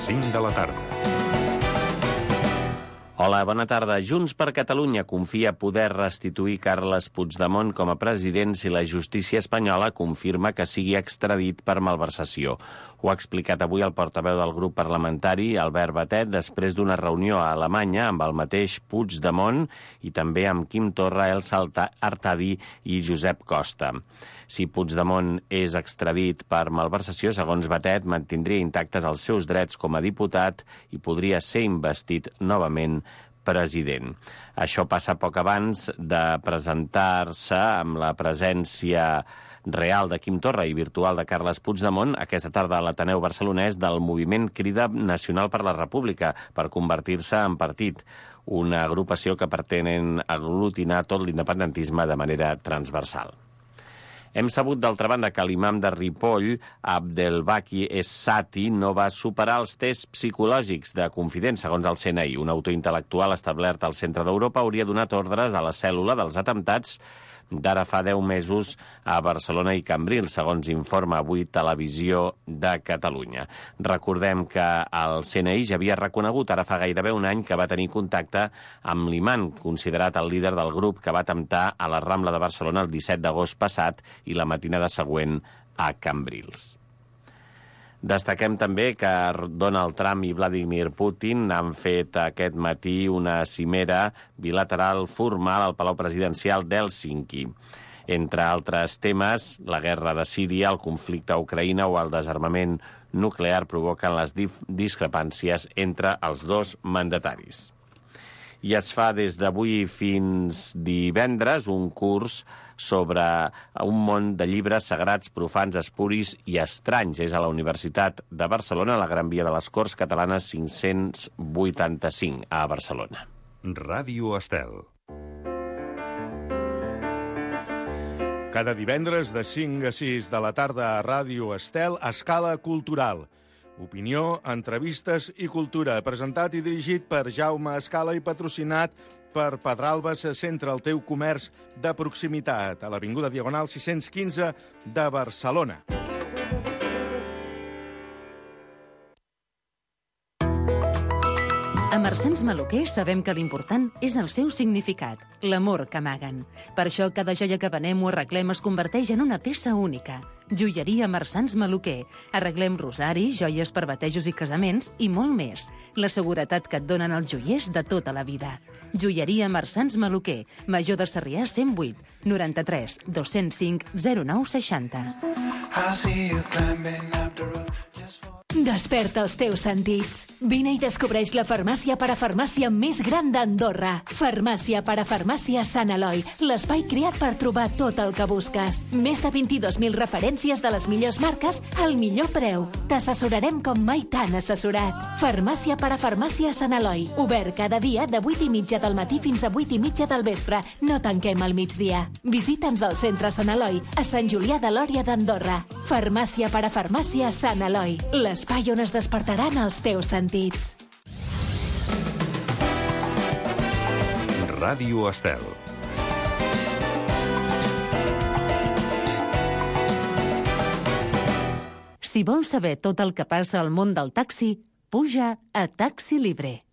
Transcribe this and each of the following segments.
5 de la tarda. Hola, bona tarda. Junts per Catalunya confia poder restituir Carles Puigdemont com a president si la justícia espanyola confirma que sigui extradit per malversació. Ho ha explicat avui el portaveu del grup parlamentari, Albert Batet, després d'una reunió a Alemanya amb el mateix Puigdemont i també amb Quim Torra, Elsa Artadi i Josep Costa. Si Puigdemont és extradit per malversació, segons Batet, mantindria intactes els seus drets com a diputat i podria ser investit novament president. Això passa poc abans de presentar-se amb la presència real de Quim Torra i virtual de Carles Puigdemont aquesta tarda a l'Ateneu barcelonès del moviment Crida Nacional per la República per convertir-se en partit, una agrupació que pretenen aglutinar tot l'independentisme de manera transversal. Hem sabut, d'altra banda, que l'imam de Ripoll, Abdelbaki Essati, no va superar els tests psicològics de confident, segons el CNI. Un autor intel·lectual establert al centre d'Europa hauria donat ordres a la cèl·lula dels atemptats d'ara fa 10 mesos a Barcelona i Cambrils, segons informa avui Televisió de Catalunya. Recordem que el CNI ja havia reconegut ara fa gairebé un any que va tenir contacte amb l'imam, considerat el líder del grup que va atemptar a la Rambla de Barcelona el 17 d'agost passat i la matinada següent a Cambrils. Destaquem també que Donald Trump i Vladimir Putin han fet aquest matí una cimera bilateral formal al Palau Presidencial d'Hèlsinki. Entre altres temes, la guerra de Síria, el conflicte a Ucraïna o el desarmament nuclear provoquen les discrepàncies entre els dos mandataris. I es fa des d'avui fins divendres un curs sobre un món de llibres sagrats, profans, espuris i estranys. És a la Universitat de Barcelona, a la Gran Via de les Corts Catalanes 585, a Barcelona. Ràdio Estel. Cada divendres de 5 a 6 de la tarda a Ràdio Estel, Escala Cultural. Opinió, entrevistes i cultura, presentat i dirigit per Jaume Escala i patrocinat per Pedralbes, centre el teu comerç de proximitat, a l'Avinguda Diagonal 615 de Barcelona. A Marsans Maluquer sabem que l'important és el seu significat, l'amor que amaguen. Per això cada joia que venem o arreglem es converteix en una peça única. Joieria Marsans Maluquer. Arreglem rosaris, joies per batejos i casaments i molt més. La seguretat que et donen els joiers de tota la vida. Joieria Marsans Maluquer. Major de Sarrià 108 93 205 0960. Desperta els teus sentits. Vine i descobreix la farmàcia parafarmàcia més gran d'Andorra. Farmàcia parafarmàcia Sant Eloi, l'espai creat per trobar tot el que busques. Més de 22.000 referències de les millors marques al millor preu. T'assessorarem com mai t'han assessorat. Farmàcia parafarmàcia Sant Eloi, obert cada dia de 8:30 del matí fins a 8:30 del vespre. No tanquem al migdia. Visita'ns al centre Sant Eloi, a Sant Julià de Lòria d'Andorra. Farmàcia parafarmàcia Sant Eloi, l'espai on es despertaran els teus sentits. Ràdio Estel. Si vols saber tot el que passa al món del taxi, puja a Taxi Libre.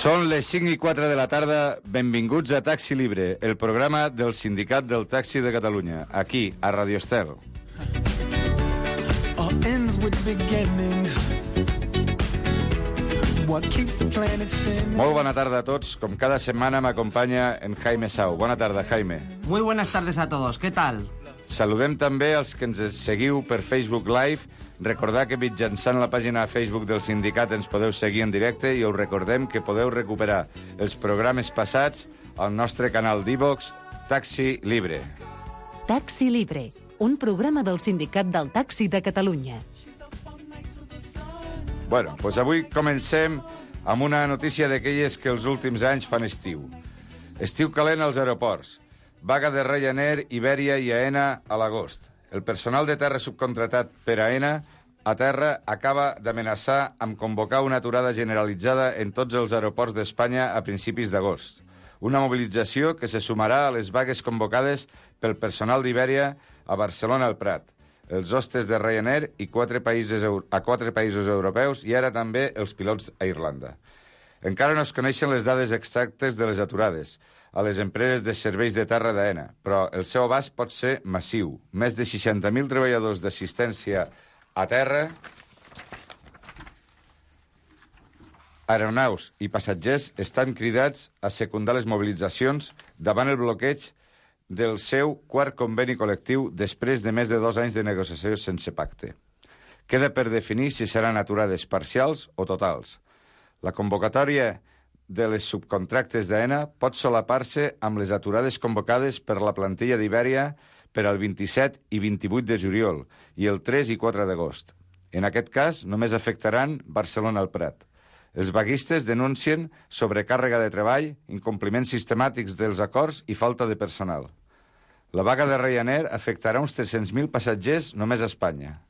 Són les 5:04 de la tarda. Benvinguts a Taxi Libre, el programa del Sindicat del Taxi de Catalunya, aquí, a Radio Estel. Molt bona tarda a tots. Com cada setmana m'acompanya en Jaime Sau. Bona tarda, Jaime. Muy buenas tardes a todos. ¿Qué tal? Saludem també els que ens seguiu per Facebook Live. Recordar que mitjançant la pàgina de Facebook del sindicat ens podeu seguir en directe i us recordem que podeu recuperar els programes passats al nostre canal d'iVox Taxi Libre. Taxi Libre, un programa del Sindicat del Taxi de Catalunya. Bueno, doncs avui comencem amb una notícia d'aquelles que els últims anys fan estiu. Estiu calent als aeroports. Vaga de Ryanair, Iberia i AENA a l'agost. El personal de terra subcontratat per AENA a terra acaba d'amenaçar amb convocar una aturada generalitzada en tots els aeroports d'Espanya a principis d'agost. Una mobilització que se sumarà a les vagues convocades pel personal d'Ibèria a Barcelona al Prat, els hostes de Ryanair i 4 països europeus i ara també els pilots a Irlanda. Encara no es coneixen les dades exactes de les aturades a les empreses de serveis de terra d'AENA, però el seu abast pot ser massiu. Més de 60.000 treballadors d'assistència a terra, aeronaus i passatgers estan cridats a secundar les mobilitzacions davant el bloqueig del seu quart conveni col·lectiu després de més de 2 anys de negociació sense pacte. Queda per definir si seran aturades parcials o totals. La convocatòria de les subcontractes d'AENA pot solapar-se amb les aturades convocades per la plantilla d'Ibèria per al 27 i 28 de juliol i el 3 i 4 d'agost. En aquest cas, només afectaran Barcelona al Prat. Els vaguistes denuncien sobrecàrrega de treball, incompliments sistemàtics dels acords i falta de personal. La vaga de Ryanair afectarà uns 300.000 passatgers només a Espanya.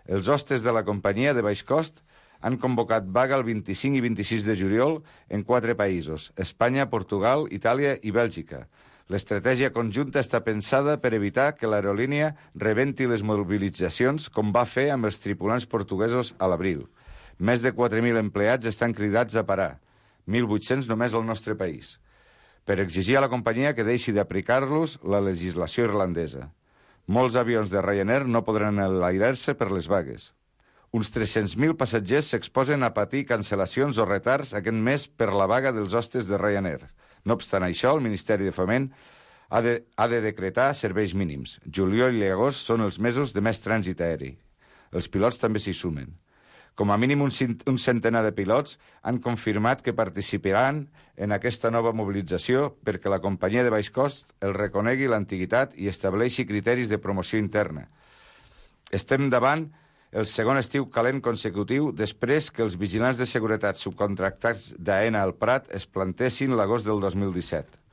Els hostes de la companyia de baix cost han convocat vaga el 25 i 26 de juliol en 4 països, Espanya, Portugal, Itàlia i Bèlgica. L'estratègia conjunta està pensada per evitar que l'aerolínia rebenti les mobilitzacions com va fer amb els tripulants portuguesos a l'abril. Més de 4.000 empleats estan cridats a parar, 1.800 només al nostre país, per exigir a la companyia que deixi d'aplicar-los la legislació irlandesa. Molts avions de Ryanair no podran enlairar-se per les vagues. Uns 300.000 passatgers s'exposen a patir cancel·lacions o retards aquest mes per la vaga dels hostes de Ryanair. No obstant això, el Ministeri de Foment ha de decretar serveis mínims. Juliol i agost són els mesos de més trànsit aeri. Els pilots també s'hi sumen. Com a mínim un centenar de pilots han confirmat que participaran en aquesta nova mobilització perquè la companyia de baix cost el reconegui l'antiguitat i estableixi criteris de promoció interna. Estem davant el segon estiu calent consecutiu després que els vigilants de seguretat subcontractats d'AENA al Prat es plantessin l'agost del 2017.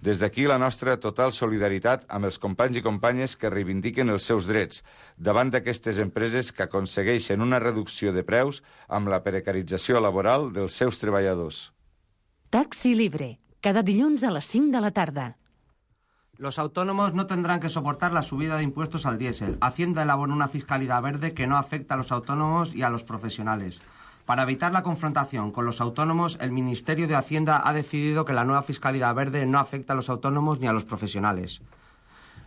Des d'aquí la nostra total solidaritat amb els companys i companyes que reivindiquen els seus drets davant d'aquestes empreses que aconsegueixen una reducció de preus amb la precarització laboral dels seus treballadors. Taxi Libre, cada dilluns a les 5 de la tarda. Los autónomos no tendrán que soportar la subida de impuestos al diésel. Hacienda elabora una fiscalidad verde que no afecta a los autónomos y a los profesionales. Para evitar la confrontación con los autónomos, el Ministerio de Hacienda ha decidido que la nueva fiscalidad verde no afecta a los autónomos ni a los profesionales.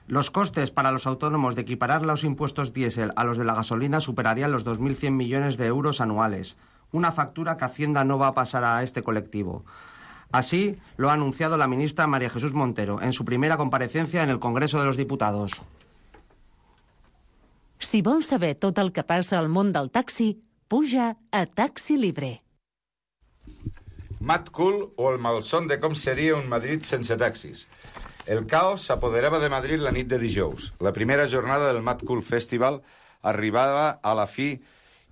Los costes para los autónomos de equiparar los impuestos diésel a los de la gasolina superarían los 2.100 millones de euros anuales, una factura que Hacienda no va a pasar a este colectivo. Así lo ha anunciado la ministra María Jesús Montero en su primera comparecencia en el Congreso de los Diputados. Si vols saber tot el que passa al món del taxi, puja a Taxi Libre. Mad Cool o el malson de com seria un Madrid sense taxis. El caos s'apoderava de Madrid la nit de dijous. La primera jornada del Mad Cool Festival arribava a la fi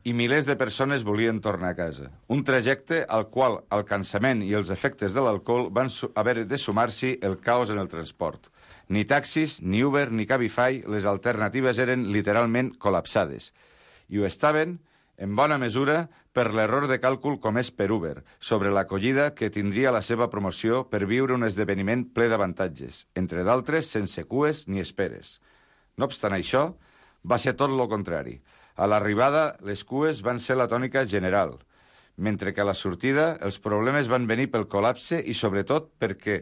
i milers de persones volien tornar a casa. Un trajecte al qual el cansament i els efectes de l'alcohol van haver de sumar-s'hi el caos en el transport. Ni taxis, ni Uber, ni Cabify, les alternatives eren literalment col·lapsades. I ho estaven en bona mesura per l'error de càlcul comès per Uber sobre l'acollida que tindria la seva promoció per viure un esdeveniment ple d'avantatges, entre d'altres sense cues ni esperes. No obstant això, va ser tot lo contrari. A l'arribada, les cues van ser la tònica general, mentre que a la sortida els problemes van venir pel col·lapse i sobretot perquè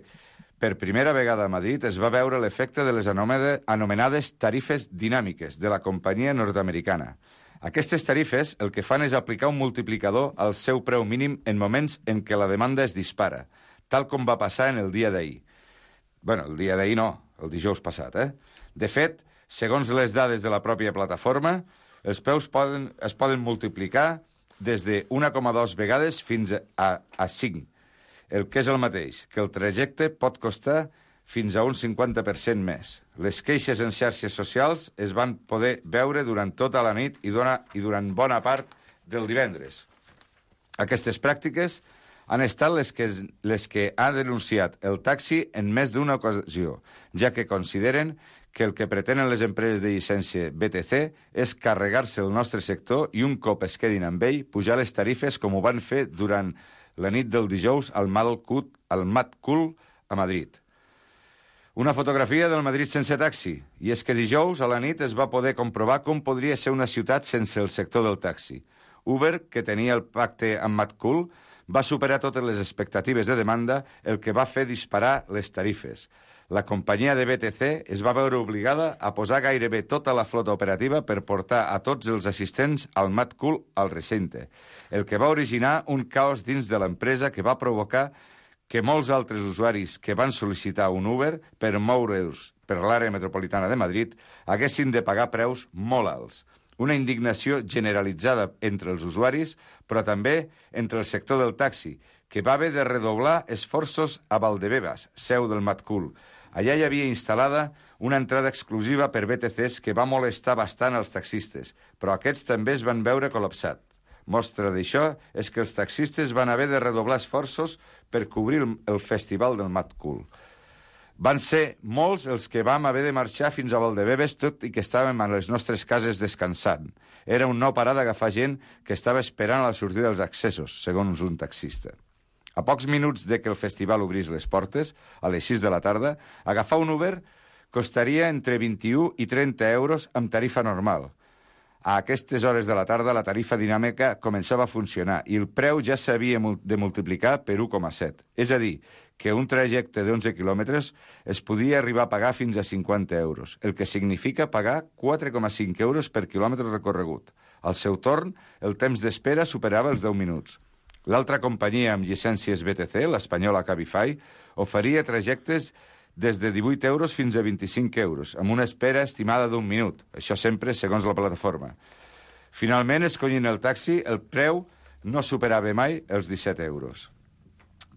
per primera vegada a Madrid es va veure l'efecte de les anomenades tarifes dinàmiques de la companyia nord-americana. Aquestes tarifes el que fan és aplicar un multiplicador al seu preu mínim en moments en què la demanda es dispara, tal com va passar en el dia d'ahir. Bueno, el dia d'ahir no, el dijous passat, De fet, segons les dades de la pròpia plataforma, els preus es poden multiplicar des de 1,2 vegades fins a 5, el que és el mateix, que el trajecte pot costar fins a un 50% més. Les queixes en xarxes socials es van poder veure durant tota la nit i durant bona part del divendres. Aquestes pràctiques han estat les que ha denunciat el taxi en més d'una ocasió, ja que consideren que el que pretenen les empreses de llicència BTC és carregar-se el nostre sector i un cop es quedin amb ell, pujar les tarifes com ho van fer durant la nit del dijous al Mad Cool a Madrid. Una fotografia del Madrid sense taxi, i és que dijous a la nit es va poder comprovar com podria ser una ciutat sense el sector del taxi. Uber, que tenia el pacte amb Mad Cool, va superar totes les expectatives de demanda, el que va fer disparar les tarifes. La companyia de BTC es va veure obligada a posar gairebé tota la flota operativa per portar a tots els assistents al Mad Cool al recinte, el que va originar un caos dins de l'empresa que va provocar que molts altres usuaris que van sol·licitar un Uber per moure'ls per l'àrea metropolitana de Madrid haguessin de pagar preus molt alts. Una indignació generalitzada entre els usuaris, però també entre el sector del taxi, que va haver de redoblar esforços a Valdebebas, seu del Mad Cool. Allà hi havia instal·lada una entrada exclusiva per BTCs que va molestar bastant als taxistes, però aquests també es van veure col·lapsats. Mostra d'això és que els taxistes van haver de redoblar esforços per cobrir el festival del Mad Cool. Van ser molts els que vam haver de marxar fins a Valdebebas, tot i que estàvem a les nostres cases descansant. Era un no parar d'agafar gent que estava esperant a la sortida dels accessos, segons un taxista. A pocs minuts de que el festival obrís les portes, a les 6 de la tarda, agafar un Uber costaria entre 21 i 30 euros amb tarifa normal. A aquestes hores de la tarda la tarifa dinàmica començava a funcionar i el preu ja s'havia de multiplicar per 1,7. És a dir, que un trajecte d'11 quilòmetres es podia arribar a pagar fins a 50 euros, el que significa pagar 4,5 euros per quilòmetre recorregut. Al seu torn, el temps d'espera superava els 10 minuts. L'altra companyia amb llicències BTC, l'espanyola Cabify, oferia trajectes des de 18 euros fins a 25 euros, amb una espera estimada d'1 minut, això sempre segons la plataforma. Finalment, escollint el taxi, el preu no superava mai els 17 euros.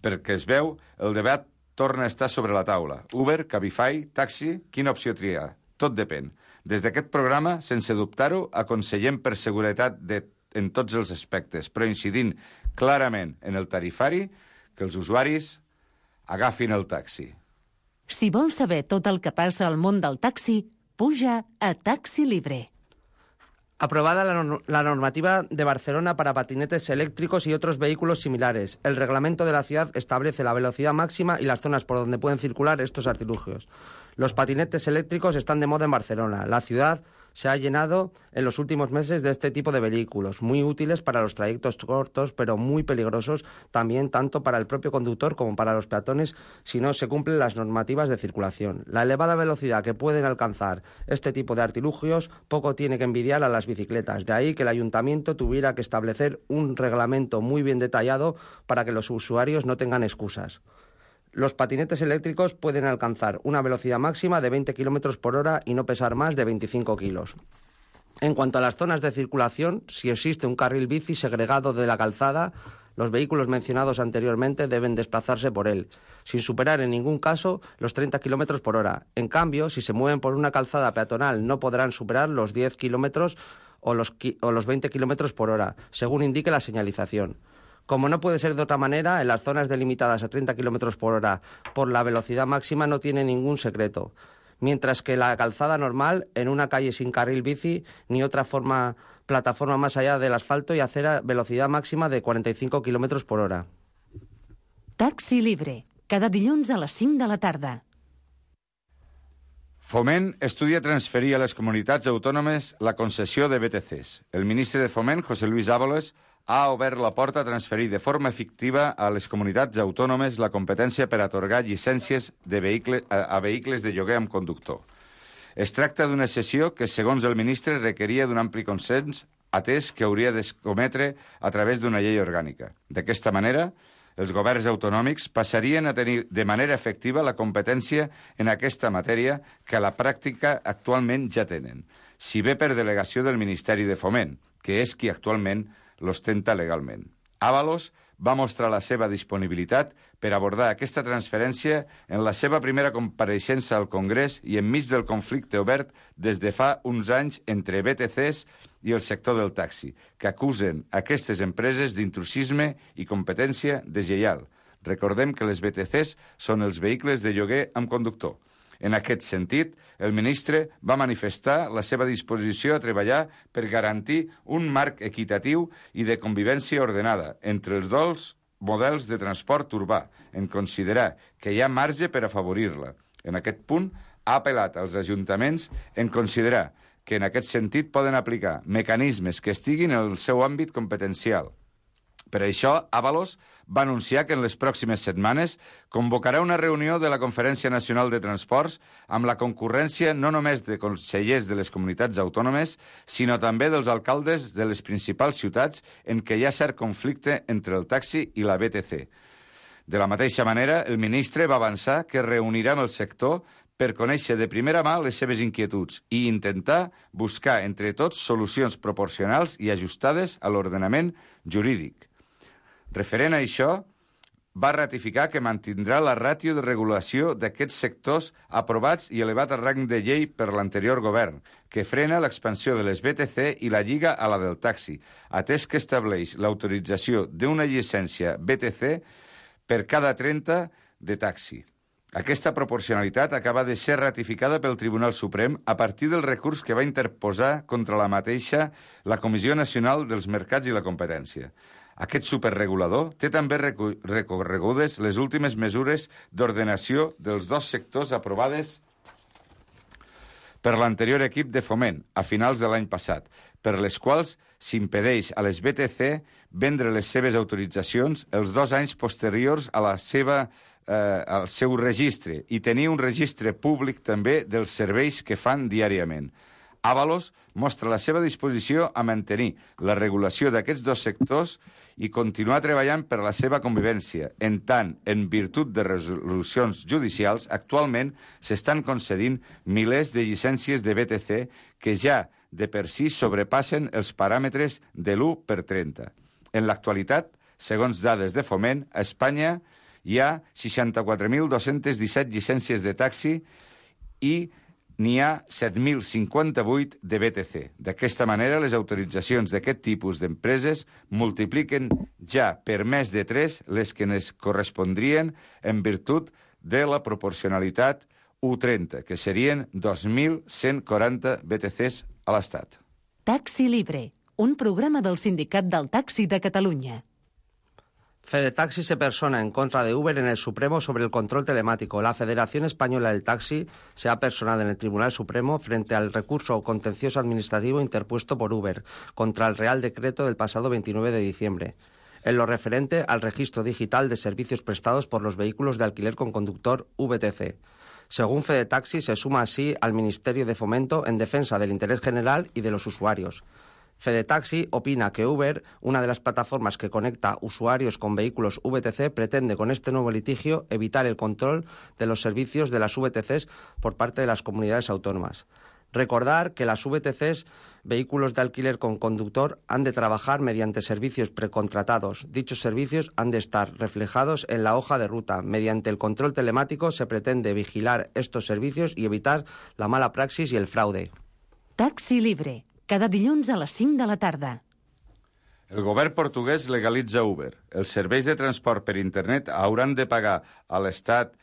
Perquè es veu, el debat torna a estar sobre la taula. Uber, Cabify, taxi, quina opció triar? Tot depèn. Des d'aquest programa, sense dubtar-ho, aconsellem per seguretat en tots els aspectes, però incidint clarament en el tarifari, que els usuaris agafin el taxi. Si vols saber tot el que passa al món del taxi, puja a Taxi Libre. Aprobada la normativa de Barcelona para patinetes eléctricos y otros vehículos similares. El reglamento de la ciudad establece la velocidad máxima y las zonas por donde pueden circular estos artilugios. Los patinetes eléctricos están de moda en Barcelona. La ciudad se ha llenado en los últimos meses de este tipo de vehículos, muy útiles para los trayectos cortos, pero muy peligrosos también tanto para el propio conductor como para los peatones si no se cumplen las normativas de circulación. La elevada velocidad que pueden alcanzar este tipo de artilugios poco tiene que envidiar a las bicicletas. De ahí que el ayuntamiento tuviera que establecer un reglamento muy bien detallado para que los usuarios no tengan excusas. Los patinetes eléctricos pueden alcanzar una velocidad máxima de 20 km por hora y no pesar más de 25 kilos. En cuanto a las zonas de circulación, si existe un carril bici segregado de la calzada, los vehículos mencionados anteriormente deben desplazarse por él, sin superar en ningún caso los 30 km por hora. En cambio, si se mueven por una calzada peatonal, no podrán superar los 10 km o los 20 km por hora, según indique la señalización. Como no puede ser de otra manera, en las zonas delimitadas a 30 km por hora por la velocidad máxima no tiene ningún secreto, mientras que la calzada normal, en una calle sin carril bici ni otra plataforma más allá del asfalto y acera, velocidad máxima de 45 km por hora. Taxi Libre, cada dilluns a les 5 de la tarda. Foment estudia transferir a les comunitats autònomes la concessió de BTCs. El ministre de Foment, José Luis Ábalos, ha obert la porta a transferir de forma efectiva a les comunitats autònomes la competència per atorgar llicències a vehicles de lloguer amb conductor. Es tracta d'una sessió que, segons el ministre, requeria d'un ampli consens, atès que hauria d'escometre a través d'una llei orgànica. D'aquesta manera, els governs autonòmics passarien a tenir de manera efectiva la competència en aquesta matèria que a la pràctica actualment ja tenen, si bé per delegació del Ministeri de Foment, que és qui actualment l'ostenta legalment. Ábalos va mostrar la seva disponibilitat per abordar aquesta transferència en la seva primera compareixença al Congrés i enmig del conflicte obert des de fa uns anys entre BTCs i el sector del taxi, que acusen aquestes empreses d'intrusisme i competència deslleial. Recordem que les BTCs són els vehicles de lloguer amb conductor. En aquest sentit, el ministre va manifestar la seva disposició a treballar per garantir un marc equitatiu i de convivència ordenada entre els models de transport urbà, en considerar que hi ha marge per afavorir-la. En aquest punt, ha apel·lat als ajuntaments en considerar que en aquest sentit poden aplicar mecanismes que estiguin en el seu àmbit competencial. Per això, Ábalos va anunciar que en les pròximes setmanes convocarà una reunió de la Conferència Nacional de Transports amb la concurrència no només de consellers de les comunitats autònomes, sinó també dels alcaldes de les principals ciutats en què hi ha cert conflicte entre el taxi i la BTC. De la mateixa manera, el ministre va avançar que reunirà amb el sector per conèixer de primera mà les seves inquietuds i intentar buscar entre tots solucions proporcionals i ajustades a l'ordenament jurídic. Referent a això, va ratificar que mantindrà la ràtio de regulació d'aquests sectors aprovats i elevat a rang de llei per l'anterior govern, que frena l'expansió de les BTC i la lliga a la del taxi, atès que estableix l'autorització d'una llicència BTC per cada 30 de taxi. Aquesta proporcionalitat acaba de ser ratificada pel Tribunal Suprem a partir del recurs que va interposar contra la mateixa la Comissió Nacional dels Mercats i la Competència. Aquest superregulador té també recorregudes les últimes mesures d'ordenació dels dos sectors aprovades per l'anterior equip de Foment a finals de l'any passat, per les quals s'impedeix a les BTC vendre les seves autoritzacions els 2 anys posteriors a al seu registre i tenir un registre públic també dels serveis que fan diàriament. Ábalos mostra la seva disposició a mantenir la regulació d'aquests dos sectors i continuar treballant per la seva convivència. En tant, en virtut de resolucions judicials, actualment s'estan concedint milers de llicències de BTC que ja de per si sobrepassen els paràmetres de l'1/30. En l'actualitat, segons dades de Foment, a Espanya hi ha 64.217 llicències de taxi i n'hi ha 7.058 de BTC. D'aquesta manera, les autoritzacions d'aquest tipus d'empreses multipliquen ja per més de 3 les que es correspondrien en virtut de la proporcionalitat 1/30, que serien 2.140 BTCs a l'Estat. Taxi Libre, un programa del Sindicat del Taxi de Catalunya. Fedetaxi se persona en contra de Uber en el Supremo sobre el control telemático. La Federación Española del Taxi se ha personado en el Tribunal Supremo frente al recurso contencioso administrativo interpuesto por Uber contra el Real Decreto del pasado 29 de diciembre, en lo referente al registro digital de servicios prestados por los vehículos de alquiler con conductor VTC. Según Fedetaxi, se suma así al Ministerio de Fomento en defensa del interés general y de los usuarios. Fedetaxi opina que Uber, una de las plataformas que conecta usuarios con vehículos VTC, pretende con este nuevo litigio evitar el control de los servicios de las VTCs por parte de las comunidades autónomas. Recordar que las VTCs, vehículos de alquiler con conductor, han de trabajar mediante servicios precontratados. Dichos servicios han de estar reflejados en la hoja de ruta. Mediante el control telemático se pretende vigilar estos servicios y evitar la mala praxis y el fraude. Taxi Libre, cada dilluns a les 5 de la tarda. El govern portuguès legalitza Uber. Els serveis de transport per internet hauran de pagar a l'Estat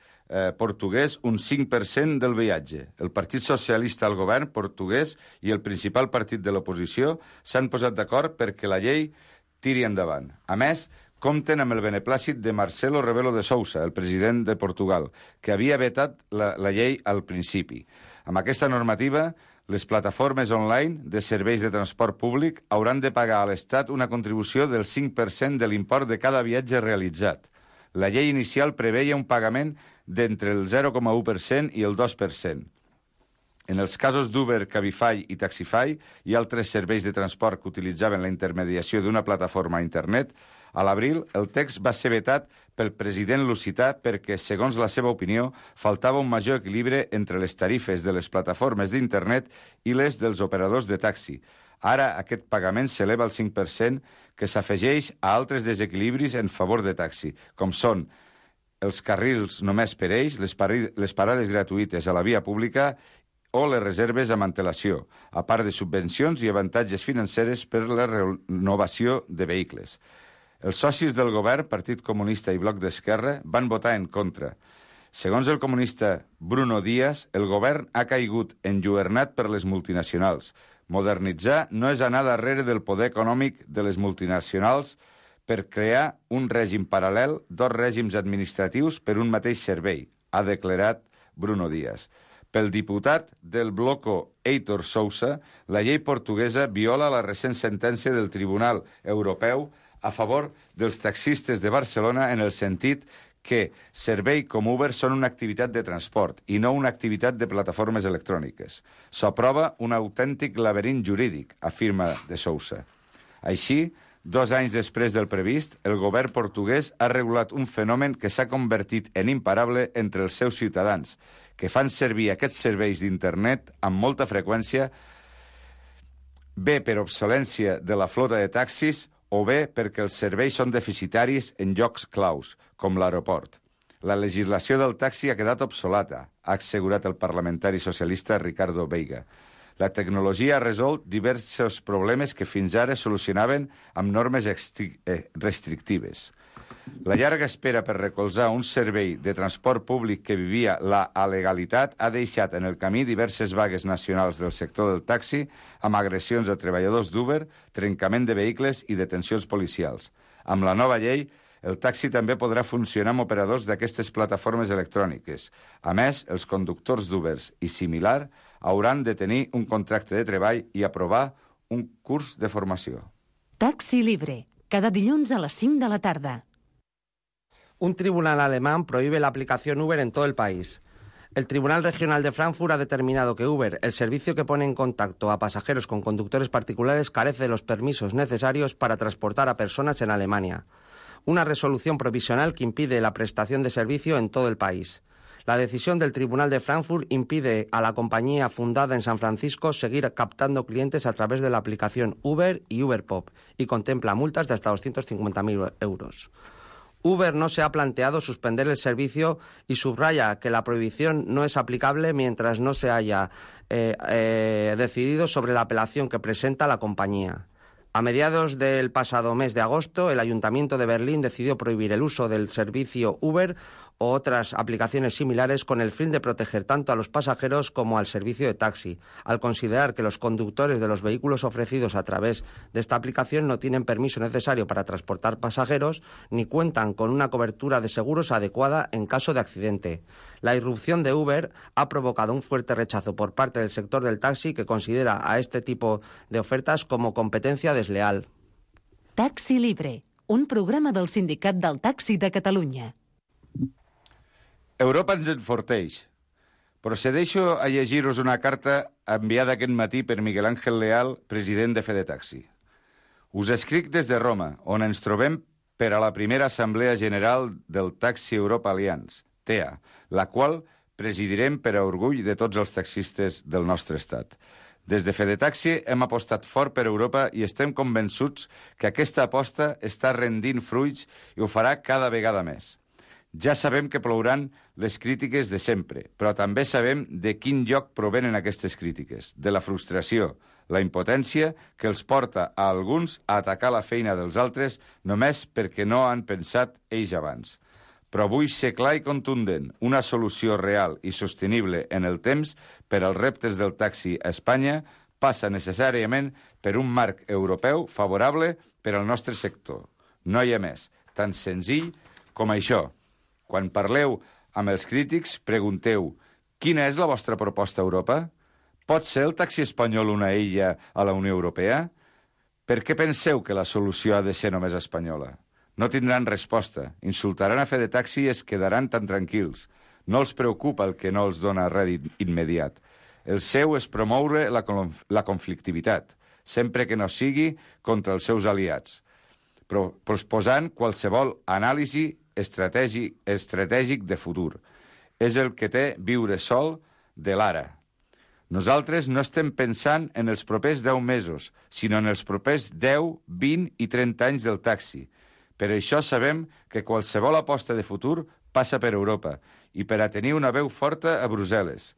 portuguès un 5% del viatge. El Partit Socialista al govern portuguès i el principal partit de l'oposició s'han posat d'acord perquè la llei tiri endavant. A més, compten amb el beneplàcit de Marcelo Rebelo de Sousa, el president de Portugal, que havia vetat la llei al principi. Amb aquesta normativa, les plataformes online de serveis de transport públic hauran de pagar a l'Estat una contribució del 5% de l'import de cada viatge realitzat. La llei inicial preveia un pagament d'entre el 0,1% i el 2%. En els casos d'Uber, Cabify i Taxify i altres serveis de transport que utilitzaven la intermediació d'una plataforma a internet, a l'abril el text va ser vetat pel president lusità perquè, segons la seva opinió, faltava un major equilibri entre les tarifes de les plataformes d'internet i les dels operadors de taxi. Ara aquest pagament s'eleva al 5%, que s'afegeix a altres desequilibris en favor de taxi, com són els carrils només per ells, les parades gratuïtes a la via pública o les reserves amb antelació, a part de subvencions i avantatges financeres per la renovació de vehicles. Els socis del govern, Partit Comunista i Bloc d'Esquerra, van votar en contra. Segons el comunista Bruno Díaz, el govern ha caigut enlluernat per les multinacionals. Modernitzar no és anar darrere del poder econòmic de les multinacionals per crear un règim paral·lel dos règims administratius per un mateix servei, ha declarat Bruno Díaz. Pel diputat del bloco Heitor Sousa, la llei portuguesa viola la recent sentència del Tribunal Europeu a favor dels taxistes de Barcelona en el sentit que servei com Uber són una activitat de transport i no una activitat de plataformes electròniques. S'aprova un autèntic laberint jurídic, afirma de Sousa. Així, 2 anys després del previst, el govern portuguès ha regulat un fenomen que s'ha convertit en imparable entre els seus ciutadans, que fan servir aquests serveis d'internet amb molta freqüència, bé per obsolència de la flota de taxis o bé perquè els serveis són deficitaris en llocs claus, com l'aeroport. La legislació del taxi ha quedat obsoleta, ha assegurat el parlamentari socialista Ricardo Veiga. La tecnologia ha resolt diversos problemes que fins ara solucionaven amb normes restrictives. La llarga espera per recolzar un servei de transport públic que vivia la alegalitat ha deixat en el camí diverses vagues nacionals del sector del taxi amb agressions a treballadors d'Uber, trencament de vehicles i detencions policials. Amb la nova llei, el taxi també podrà funcionar amb operadors d'aquestes plataformes electròniques. A més, els conductors d'Ubers i similar hauran de tenir un contracte de treball i aprovar un curs de formació. Taxi Libre, cada dilluns a les 5 de la tarda. Un tribunal alemán prohíbe la aplicación Uber en todo el país. El Tribunal Regional de Frankfurt ha determinado que Uber, el servicio que pone en contacto a pasajeros con conductores particulares, carece de los permisos necesarios para transportar a personas en Alemania. Una resolución provisional que impide la prestación de servicio en todo el país. La decisión del Tribunal de Frankfurt impide a la compañía fundada en San Francisco seguir captando clientes a través de la aplicación Uber y Uberpop y contempla multas de hasta 250.000 euros. Uber no se ha planteado suspender el servicio y subraya que la prohibición no es aplicable mientras no se haya decidido sobre la apelación que presenta la compañía. A mediados del pasado mes de agosto, el Ayuntamiento de Berlín decidió prohibir el uso del servicio Uber o otras aplicaciones similares con el fin de proteger tanto a los pasajeros como al servicio de taxi, al considerar que los conductores de los vehículos ofrecidos a través de esta aplicación no tienen permiso necesario para transportar pasajeros ni cuentan con una cobertura de seguros adecuada en caso de accidente. La irrupción de Uber ha provocado un fuerte rechazo por parte del sector del taxi que considera a este tipo de ofertas como competencia desleal. Taxi Libre, un programa del Sindicat del Taxi de Catalunya. Europa ens enforteix. Procedeixo a llegir-vos una carta enviada aquest matí per Miguel Ángel Leal, president de Fedetaxi. Us escric des de Roma, on ens trobem per a la primera Assemblea General del Taxi Europa Alliance, TEA, la qual presidirem per a orgull de tots els taxistes del nostre estat. Des de Fedetaxi hem apostat fort per Europa i estem convençuts que aquesta aposta està rendint fruits i ho farà cada vegada més. Ja sabem que plouran les crítiques de sempre, però també sabem de quin lloc provenen aquestes crítiques, de la frustració, la impotència que els porta a alguns a atacar la feina dels altres només perquè no han pensat ells abans. Però vull ser clar i contundent, una solució real i sostenible en el temps per als reptes del taxi a Espanya passa necessàriament per un marc europeu favorable per al nostre sector. No hi ha més, tan senzill com això. Quan parleu amb els crítics, pregunteu quina és la vostra proposta a Europa? Pot ser el taxi espanyol una illa a la Unió Europea? Per què penseu que la solució ha de ser només espanyola? No tindran resposta, insultaran a Fedetaxi i es quedaran tan tranquils. No els preocupa el que no els dona rèdit immediat. El seu és promoure la conflictivitat, sempre que no sigui contra els seus aliats, posposant qualsevol anàlisi estratègic de futur. És el que té viure sol de l'ara. Nosaltres no estem pensant en els propers 10 mesos, sinó en els propers 10, 20 i 30 anys del taxi. Per això sabem que qualsevol aposta de futur passa per Europa i per a tenir una veu forta a Brussel·les.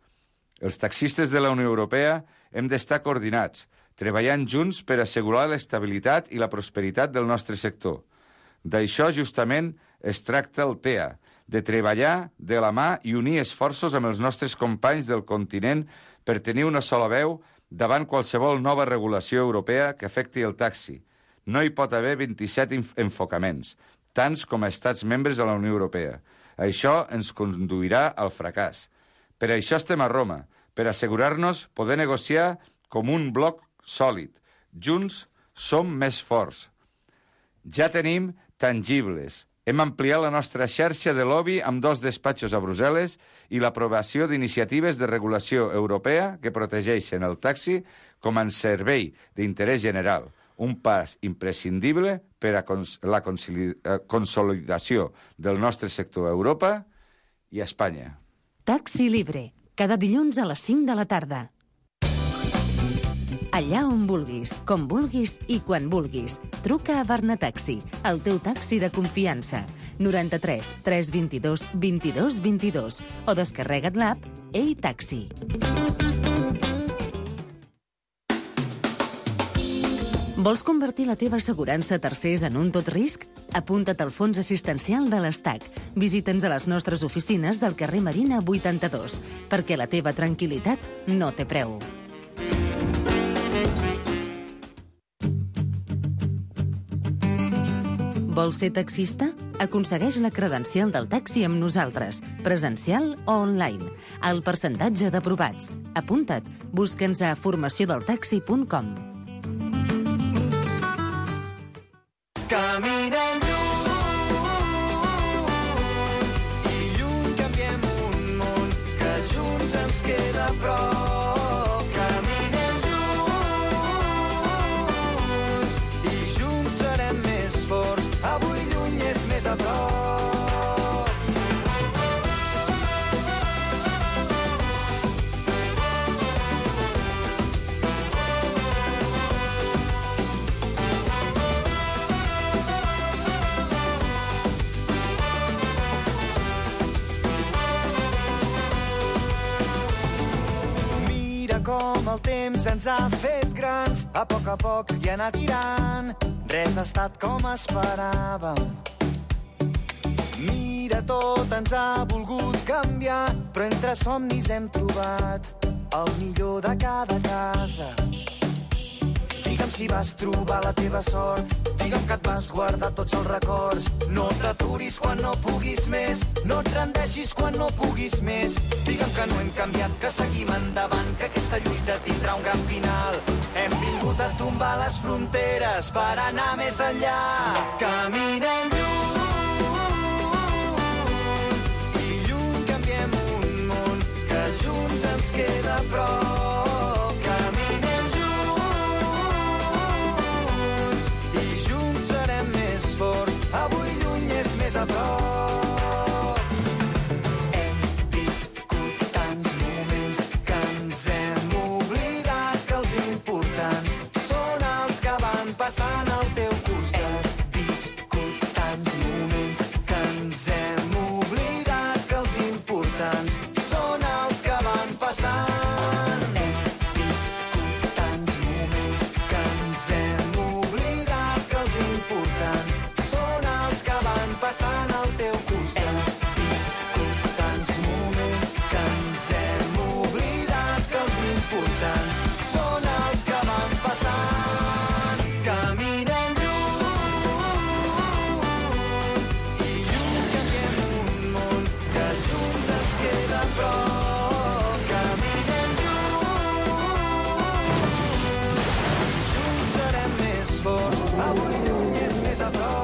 Els taxistes de la Unió Europea hem d'estar coordinats, treballant junts per assegurar l'estabilitat i la prosperitat del nostre sector. D'això justament es tracta el TEA, de treballar de la mà i unir esforços amb els nostres companys del continent per tenir una sola veu davant qualsevol nova regulació europea que afecti el taxi. No hi pot haver 27 enfocaments, tants com a estats membres de la Unió Europea. Això ens conduirà al fracàs. Per això estem a Roma, per assegurar-nos poder negociar com un bloc sòlid. Junts som més forts. Ja tenim tangibles. Hem ampliat la nostra xarxa de lobby amb 2 despatxos a Brussel·les i l'aprovació d'iniciatives de regulació europea que protegeixen el taxi com a servei d'interès general, un pas imprescindible per a la consolidació del nostre sector a Europa i a Espanya. Taxi Libre, cada dilluns a les 5 de la tarda. Allà on vulguis, com vulguis i quan vulguis. Truca a Barnataxi, el teu taxi de confiança. 93 322 22 22 o descarrega't l'app Ei Taxi. Vols convertir la teva assegurança a tercers en un tot risc? Apunta't al fons assistencial de l'Estac. Visita'ns a les nostres oficines del carrer Marina 82, perquè la teva tranquil·litat no té preu. Vols ser taxista? Aconsegueix la credencial del taxi amb nosaltres, presencial o online. El percentatge d'aprovats. Apunta't. Busca'ns a formaciondeltaxi.com. Caminem lluny i lluny canviem un món que junts ens queda a prop. Caminem junts i junts serem més forts. Avui lluny és més a prop. Com el temps ens ha fet grans, a poc i anar tirant. Res ha estat com esperàvem. Mira, tot ens ha volgut canviar, però entre somnis hem trobat el millor de cada casa. Digue'm si vas trobar la teva sort, digue'm que et vas guardar tots els records. No t'aturis quan no puguis més, no et rendeixis quan no puguis més. Digue'm que no hem canviat, que seguim endavant, que aquesta lluita tindrà un gran final. Hem vingut a tombar les fronteres per anar més enllà. Caminem lluny i lluny canviem un món que junts ens queda a prop. Caminem junts i junts serem més forts. Avui lluny és més a prop. Passant al teu costat. Hem viscut tants moments que ens hem oblidat que els importants són els que van passant. Hem viscut tants moments que ens hem oblidat que els importants són els que van passant al teu costat. Hem viscut tants moments que ens hem oblidat que els importants són els que van passant. Caminem lluny i lluny canviem un món que junts ens queda a prop. Caminem junts, junts serem més forts. Avui lluny és més a prop.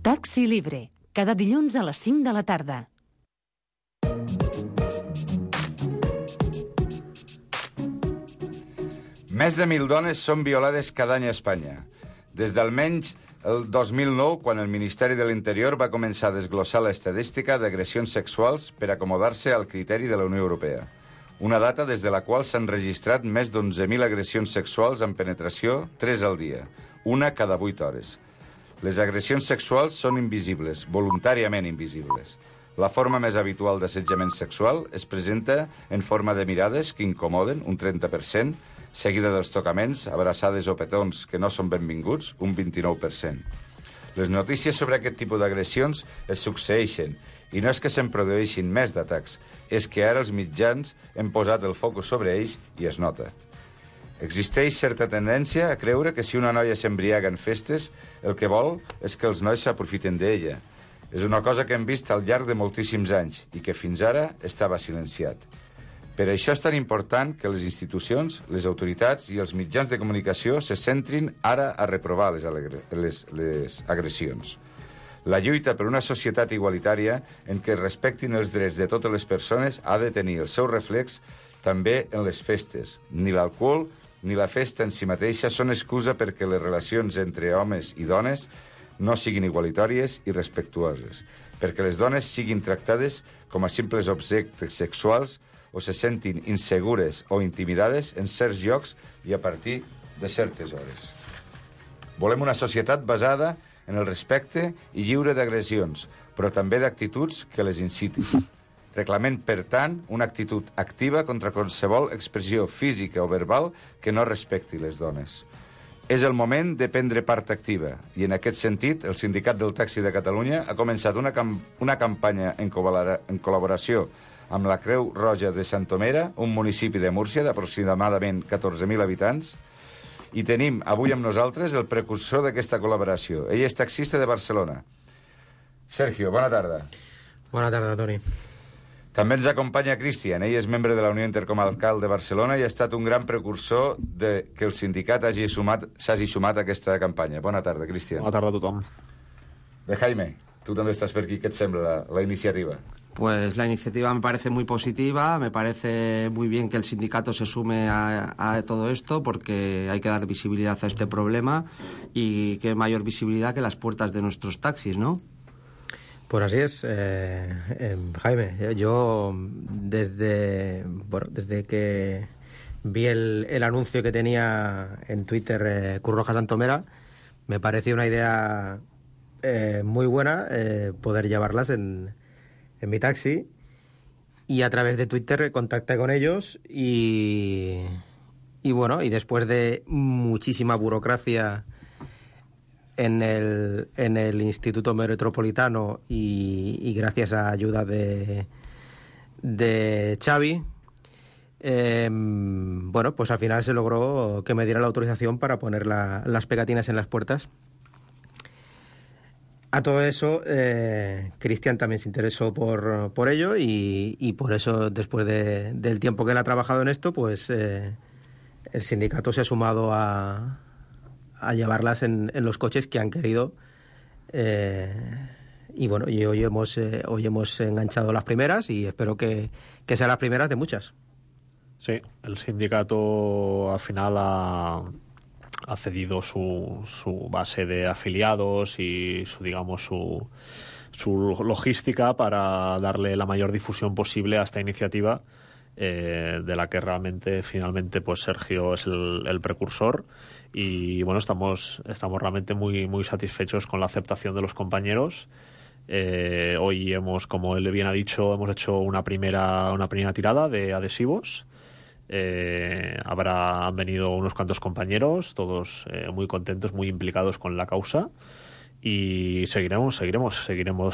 Taxi Libre, cada dilluns a les 5 de la tarda. Més de 1.000 dones són violades cada any a Espanya. Des d'almenys el 2009, quan el Ministeri de l'Interior va començar a desglossar l'estadística d'agressions sexuals per acomodar-se al criteri de la Unió Europea. Una data des de la qual s'han registrat més d'11.000 agressions sexuals amb penetració, 3 al dia, una cada 8 hores. Les agressions sexuals són invisibles, voluntàriament invisibles. La forma més habitual d'assetjament sexual es presenta en forma de mirades que incomoden, un 30%, seguida dels tocaments, abraçades o petons que no són benvinguts, un 29%. Les notícies sobre aquest tipus d'agressions es succeeixen, i no és que se'n produeixin més d'atacs, és que ara els mitjans hem posat el focus sobre ells i es nota. Existeix certa tendència a creure que si una noia s'embriaga en festes, el que vol és que els nois s'aprofiten d'ella. És una cosa que hem vist al llarg de moltíssims anys i que fins ara estava silenciat. Per això és tan important que les institucions, les autoritats i els mitjans de comunicació se centrin ara a reprovar les agressions. La lluita per una societat igualitària en què es respectin els drets de totes les persones ha de tenir el seu reflex també en les festes. Ni l'alcohol ni la festa en si mateixa són excusa perquè les relacions entre homes i dones no siguin igualitàries i respectuoses, perquè les dones siguin tractades com a simples objectes sexuals o se sentin insegures o intimidades en certs llocs i a partir de certes hores. Volem una societat basada en el respecte i lliure d'agressions, però també d'actituds que les incitin. Reclamem, per tant, una actitud activa contra qualsevol expressió física o verbal que no respecti les dones. És el moment de prendre part activa i, en aquest sentit, el Sindicat del Taxi de Catalunya ha començat una campanya en col·laboració amb la Creu Roja de Santomera, un municipi de Múrcia d'aproximadament 14.000 habitants, i tenim avui amb nosaltres el precursor d'aquesta col·laboració. Ell és taxista de Barcelona. Sergio, bona tarda. Bona tarda, Toni. També ens acompanya Cristian. Ell és membre de la Unió Intercomarcal de Barcelona i ha estat un gran precursor de que el sindicat s'hagi sumat a aquesta campanya. Bona tarda, Cristian. Bona tarda a tothom. De Jaime, tu també estàs per aquí. Què et sembla la iniciativa? Pues la iniciativa me parece muy positiva, me parece muy bien que el sindicato se sume a todo esto porque hay que dar visibilidad a este problema y qué mayor visibilidad que las puertas de nuestros taxis, ¿no? Pues así es, Jaime. Yo desde que vi el anuncio que tenía en Twitter Cruz Roja Santomera, me pareció una idea muy buena poder llevarlas en mi taxi, y a través de Twitter contacté con ellos y bueno, y después de muchísima burocracia en el Instituto Metropolitano y gracias a ayuda de Xavi, bueno, pues al final se logró que me diera la autorización para poner las pegatinas en las puertas. A todo eso, Cristian también se interesó por ello y por eso, después del tiempo que él ha trabajado en esto, pues el sindicato se ha sumado a llevarlas en los coches que han querido. Y bueno, y hoy hemos enganchado las primeras y espero que sean las primeras de muchas. Sí, el sindicato al final ha cedido su base de afiliados y su logística para darle la mayor difusión posible a esta iniciativa, de la que realmente finalmente pues Sergio es el precursor, y bueno, estamos realmente muy, muy satisfechos con la aceptación de los compañeros. Hoy como él bien ha dicho, hemos hecho una primera tirada de adhesivos. Han venido unos cuantos compañeros, todos muy contentos, muy implicados con la causa, y seguiremos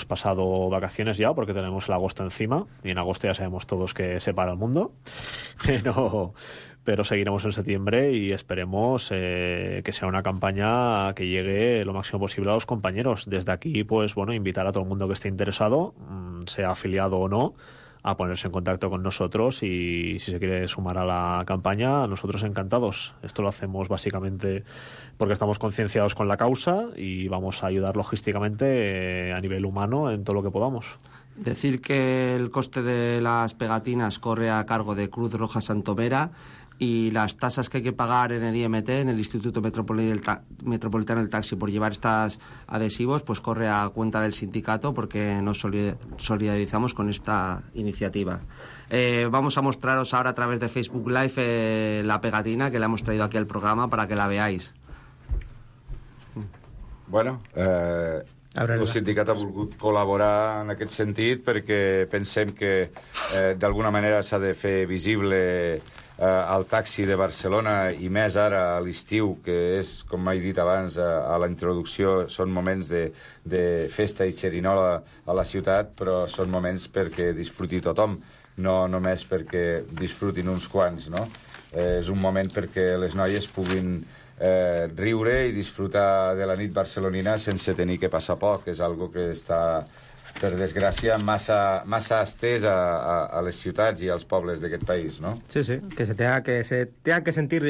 pasado vacaciones ya, porque tenemos el agosto encima, y en agosto ya sabemos todos que se para el mundo, pero seguiremos en septiembre y esperemos que sea una campaña que llegue lo máximo posible a los compañeros. Desde aquí, pues bueno, invitar a todo el mundo que esté interesado, sea afiliado o no, a ponerse en contacto con nosotros, y si se quiere sumar a la campaña, nosotros encantados. Esto lo hacemos básicamente porque estamos concienciados con la causa y vamos a ayudar logísticamente a nivel humano en todo lo que podamos. Decir que el coste de las pegatinas corre a cargo de Cruz Roja Santomera, y las tasas que hay que pagar en el IMT, en el Instituto Metropolitano del Taxi, por llevar estos adhesivos, pues corre a cuenta del sindicato, porque nos solidarizamos con esta iniciativa. Vamos a mostraros ahora a través de Facebook Live la pegatina que le hemos traído aquí al programa para que la veáis. Bueno, El sindicat ha volgut col·laborar en aquest sentit perquè pensem que d'alguna manera s'ha de fer visible el taxi de Barcelona, i més ara a l'estiu, que és, com he dit abans a la introducció, són moments de festa i xerinola a la ciutat, però són moments perquè disfruti tothom, no només perquè disfrutin uns quants, no? És un moment perquè les noies puguin riure i disfrutar de la nit barcelonina sense tenir que passar poc. És algo que està, per desgràcia, massa estès a les ciutats i als pobles d'aquest país, ¿no? Sí, que se tengan que sentir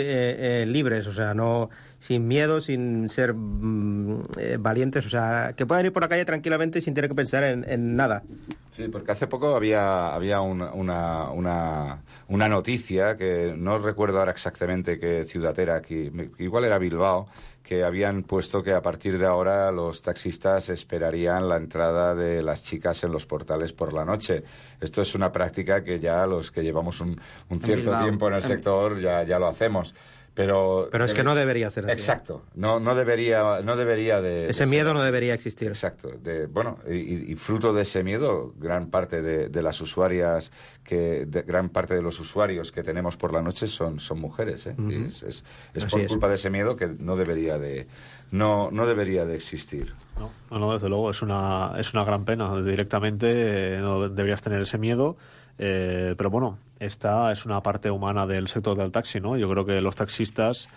libres, o sea, no sin miedo, sin ser valientes, o sea, que puedan ir por la calle tranquilamente sin tener que pensar en nada. Sí, porque hace poco había una noticia, que no recuerdo ahora exactamente qué ciudad era aquí, igual era Bilbao, que habían puesto que a partir de ahora los taxistas esperarían la entrada de las chicas en los portales por la noche. Esto es una práctica que ya los que llevamos un cierto tiempo en el sector ya lo hacemos. Pero es que no debería ser así. Exacto, no debería de... Ese miedo no debería existir. Exacto. Y fruto de ese miedo, gran parte de las usuarias, gran parte de los usuarios que tenemos por la noche son mujeres, ¿eh? Uh-huh. Es por culpa de ese miedo que no debería de existir. No, desde luego, es una gran pena. Directamente no deberías tener ese miedo. Pero bueno, esta es una parte humana del sector del taxi, ¿no? Yo creo que los taxistas,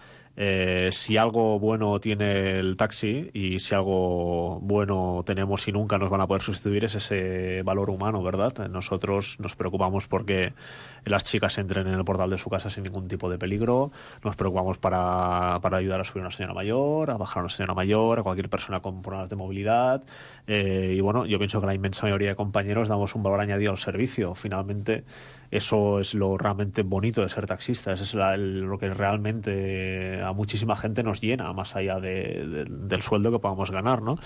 si algo bueno tiene el taxi y si algo bueno tenemos y nunca nos van a poder sustituir, es ese valor humano, ¿verdad? Nosotros nos preocupamos porque las chicas entren en el portal de su casa sin ningún tipo de peligro, nos preocupamos para ayudar a subir a una señora mayor, a bajar a una señora mayor, a cualquier persona con problemas de movilidad, y bueno, yo pienso que la inmensa mayoría de compañeros damos un valor añadido al servicio. Finalmente, eso es lo realmente bonito de ser taxista, eso es lo que realmente a muchísima gente nos llena, más allá del sueldo que podamos ganar, ¿no?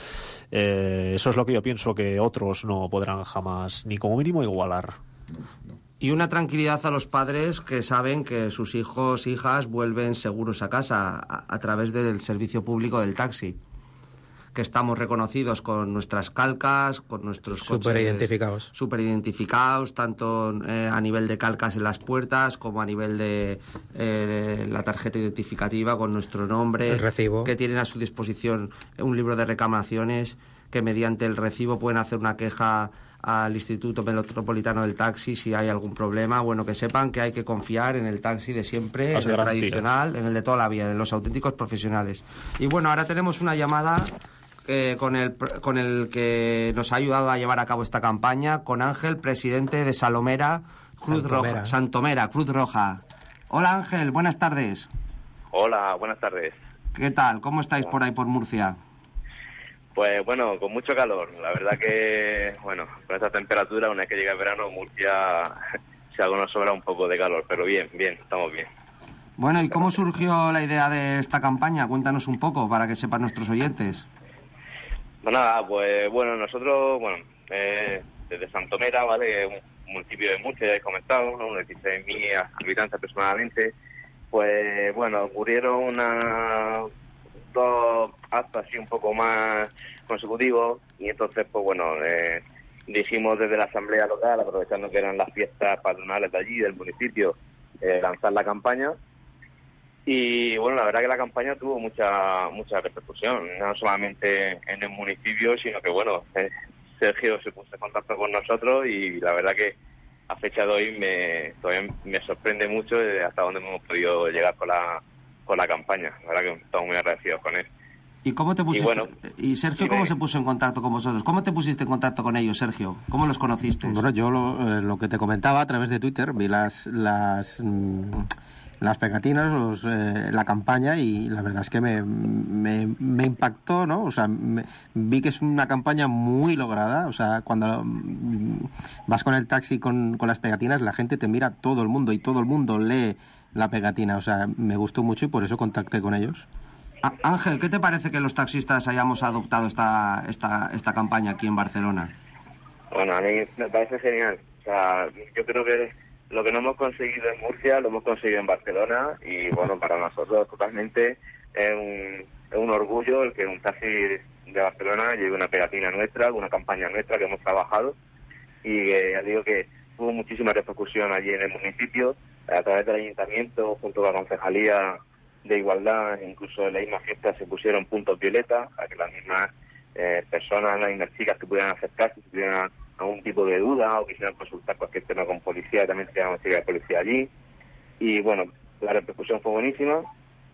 Eso es lo que yo pienso que otros no podrán jamás, ni como mínimo, igualar. Y una tranquilidad a los padres que saben que sus hijos, hijas vuelven seguros a casa a través del servicio público del taxi. Que estamos reconocidos con nuestras calcas, con nuestros coches súper identificados, tanto a nivel de calcas en las puertas como a nivel de la tarjeta identificativa con nuestro nombre, el recibo, que tienen a su disposición un libro de reclamaciones, que mediante el recibo pueden hacer una queja al Instituto Metropolitano del Taxi si hay algún problema. Bueno, que sepan que hay que confiar en el taxi de siempre, en el tradicional, en el de toda la vida, en los auténticos profesionales. Y bueno, ahora tenemos una llamada con el que nos ha ayudado a llevar a cabo esta campaña, con Ángel, presidente de Santomera, Cruz Roja. Hola Ángel, buenas tardes. Hola, buenas tardes. ¿Qué tal? ¿Cómo estáis por ahí por Murcia? Pues bueno, con mucho calor. La verdad que, bueno, con esta temperatura, una vez que llega el verano, Murcia, si algo nos sobra un poco de calor, pero bien, estamos bien. Bueno, ¿y cómo surgió la idea de esta campaña? Cuéntanos un poco para que sepan nuestros oyentes. Pues nada, pues bueno, nosotros, desde Santomera, ¿vale? Un municipio de Murcia, ya he comentado, ¿no? Unos 16.000 habitantes aproximadamente. Pues bueno, ocurrieron dos actos así un poco más consecutivos y entonces, pues bueno, dijimos desde la asamblea local, aprovechando que eran las fiestas patronales de allí, del municipio, lanzar la campaña. Y bueno, la verdad que la campaña tuvo mucha repercusión, no solamente en el municipio, sino que bueno, Sergio se puso en contacto con nosotros y la verdad que a fecha de hoy todavía me sorprende mucho hasta dónde hemos podido llegar con la campaña. La verdad que estamos muy agradecidos con él. ¿Y cómo te pusiste? ¿Y Sergio cómo se puso en contacto con vosotros? ¿Cómo te pusiste en contacto con ellos, Sergio? ¿Cómo los conociste? Bueno, yo lo que te comentaba a través de Twitter, vi las pegatinas, la campaña, y la verdad es que me impactó, ¿no? O sea, vi que es una campaña muy lograda. O sea, cuando vas con el taxi con las pegatinas, la gente te mira, todo el mundo, y todo el mundo lee la pegatina. O sea, me gustó mucho y por eso contacté con ellos. Ángel, ¿qué te parece que los taxistas hayamos adoptado esta campaña aquí en Barcelona? Bueno, a mí me parece genial. O sea, yo creo que lo que no hemos conseguido en Murcia lo hemos conseguido en Barcelona y bueno, para nosotros totalmente es un orgullo el que un taxi de Barcelona lleve una pegatina nuestra, una campaña nuestra que hemos trabajado, y ya digo que hubo muchísima repercusión allí en el municipio, a través del ayuntamiento, junto con la Concejalía de Igualdad, incluso en la misma fiesta se pusieron puntos violetas para que las mismas personas, las mismas chicas que pudieran acercarse, si tuvieran algún tipo de duda o quisieran consultar cualquier tema con policía, también se llama de policía allí. Y bueno, la repercusión fue buenísima.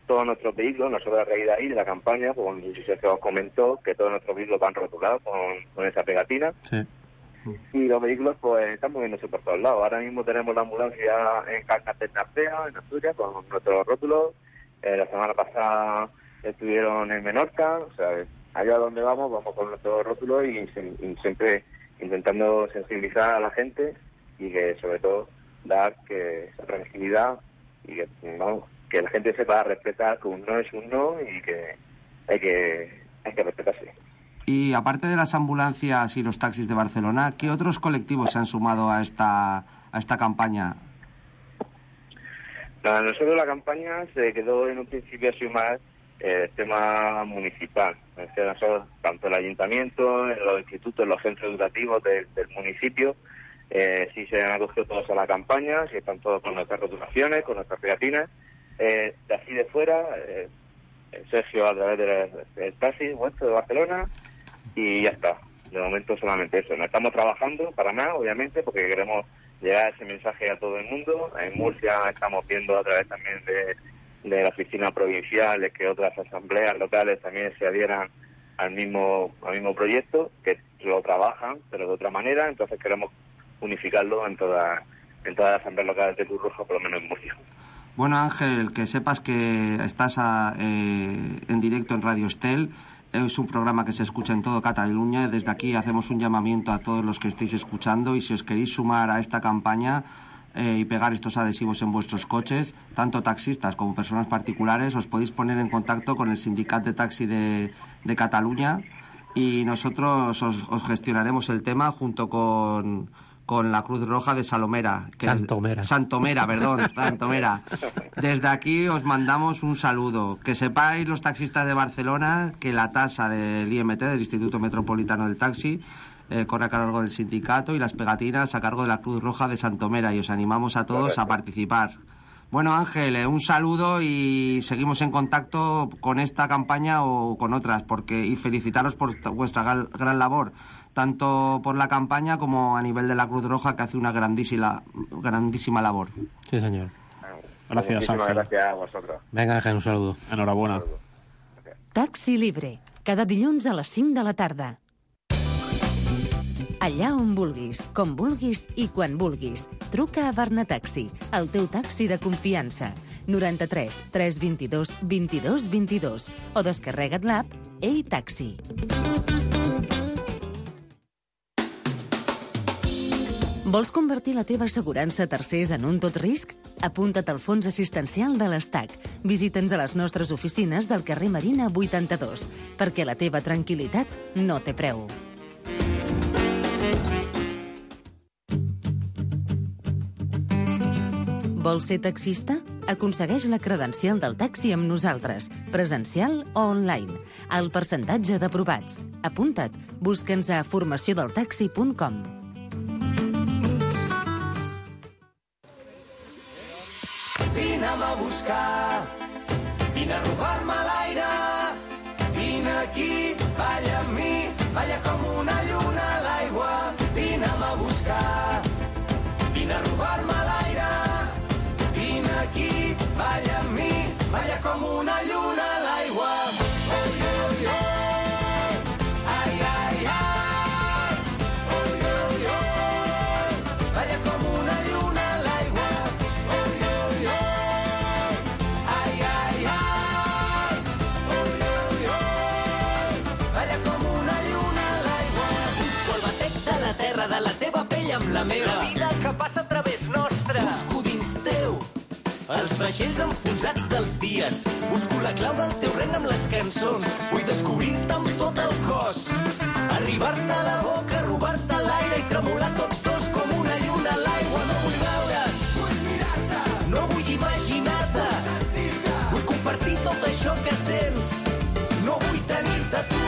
Todos nuestros vehículos, nosotros a raíz de ahí, de la campaña, pues se os comentó que todos nuestros vehículos van rotulados con esa pegatina. Sí. Y los vehículos pues están moviéndose por todos lados. Ahora mismo tenemos la ambulancia en Carcas de Narcea, en Asturias, con nuestros rótulos. La semana pasada estuvieron en Menorca. O sea, allá donde vamos con nuestros rótulos y siempre intentando sensibilizar a la gente y que sobre todo dar que esa tranquilidad y que la gente sepa respetar que un no es un no y que hay que respetarse. Y aparte de las ambulancias y los taxis de Barcelona, ¿qué otros colectivos se han sumado a esta campaña? Nosotros la campaña se quedó en un principio así más el tema municipal. Es decir, nosotros, tanto el ayuntamiento, los institutos, los centros educativos del municipio, sí se han acogido todos a la campaña, sí están todos con nuestras rotulaciones, con nuestras pegatinas. De así de fuera, Sergio a través del taxi nuestro de Barcelona, y ya está. De momento solamente eso. No estamos trabajando para nada, obviamente, porque queremos llegar ese mensaje a todo el mundo. En Murcia estamos viendo a través también de la oficina provincial que otras asambleas locales también se adhieran al mismo proyecto, que lo trabajan, pero de otra manera. Entonces queremos unificarlo en todas las asambleas locales de Cruz Roja, por lo menos en Murcia. Bueno, Ángel, que sepas que estás en directo en Radio Estel. Es un programa que se escucha en todo Cataluña. Desde aquí hacemos un llamamiento a todos los que estéis escuchando, y si os queréis sumar a esta campaña y pegar estos adhesivos en vuestros coches, tanto taxistas como personas particulares, os podéis poner en contacto con el Sindicat de Taxi de Cataluña, y nosotros os gestionaremos el tema junto con la Cruz Roja de Santomera. Desde aquí os mandamos un saludo. Que sepáis, los taxistas de Barcelona, que la tasa del IMT, del Instituto Metropolitano del Taxi, corre a cargo del sindicato, y las pegatinas a cargo de la Cruz Roja de Santomera, y os animamos a todos a participar. Bueno, Ángel, un saludo, y seguimos en contacto con esta campaña o con otras, y felicitaros por vuestra gran labor, tanto por la campaña como a nivel de la Cruz Roja, que hace una grandísima labor. Sí, señor. Gracias, Ángel. Gràcies a vosotros. Venga, Ángel, un saludo. Enhorabuena. Taxi Libre, cada dilluns a les 5 de la tarda. Allà on vulguis, com vulguis i quan vulguis. Truca a Barnataxi, el teu taxi de confiança. 93 322 22 22 o descarrega't l'app Ei Taxi. Vols convertir la teva assegurança a tercers en un tot risc? Apunta't al fons assistencial de l'Estac. Visita'ns a les nostres oficines del carrer Marina 82, perquè la teva tranquil·litat no té preu. Vols ser taxista? Aconsegueix la credencial del taxi amb nosaltres, presencial o online. El percentatge d'aprovats. Apunta't. Busca'ns a formaciondeltaxi.com. Vine'm a buscar, vine a robar-me l'aire, vine aquí, balla amb mi, balla com una lluna a l'aigua. Vine'm a buscar, vine a robar-me l'aire, vine aquí, balla amb mi, balla com una lluna a l'aigua. Oi, oi, oi, ai, ai, ai, oi, oi, oi, balla com una lluna a l'aigua. Oi, oi, oi, ai, ai, ai, oi, oi, oi, balla com una lluna a l'aigua. Busco el batec de la terra, de la teva pell amb la meva. La vida que passa a través nostre. Busco dins teu els vaixells enfonsats dels dies. Busco la clau del teu regne amb les cançons. Vull descobrir-te amb tot el cos. Arribar-te a la boca, robar-te l'aire i tremolar tots dos com una lluna a l'aigua. No vull veure't, vull mirar-te. No vull imaginar-te, vull sentir-te. Vull compartir tot això que sents. No vull tenir-te tu.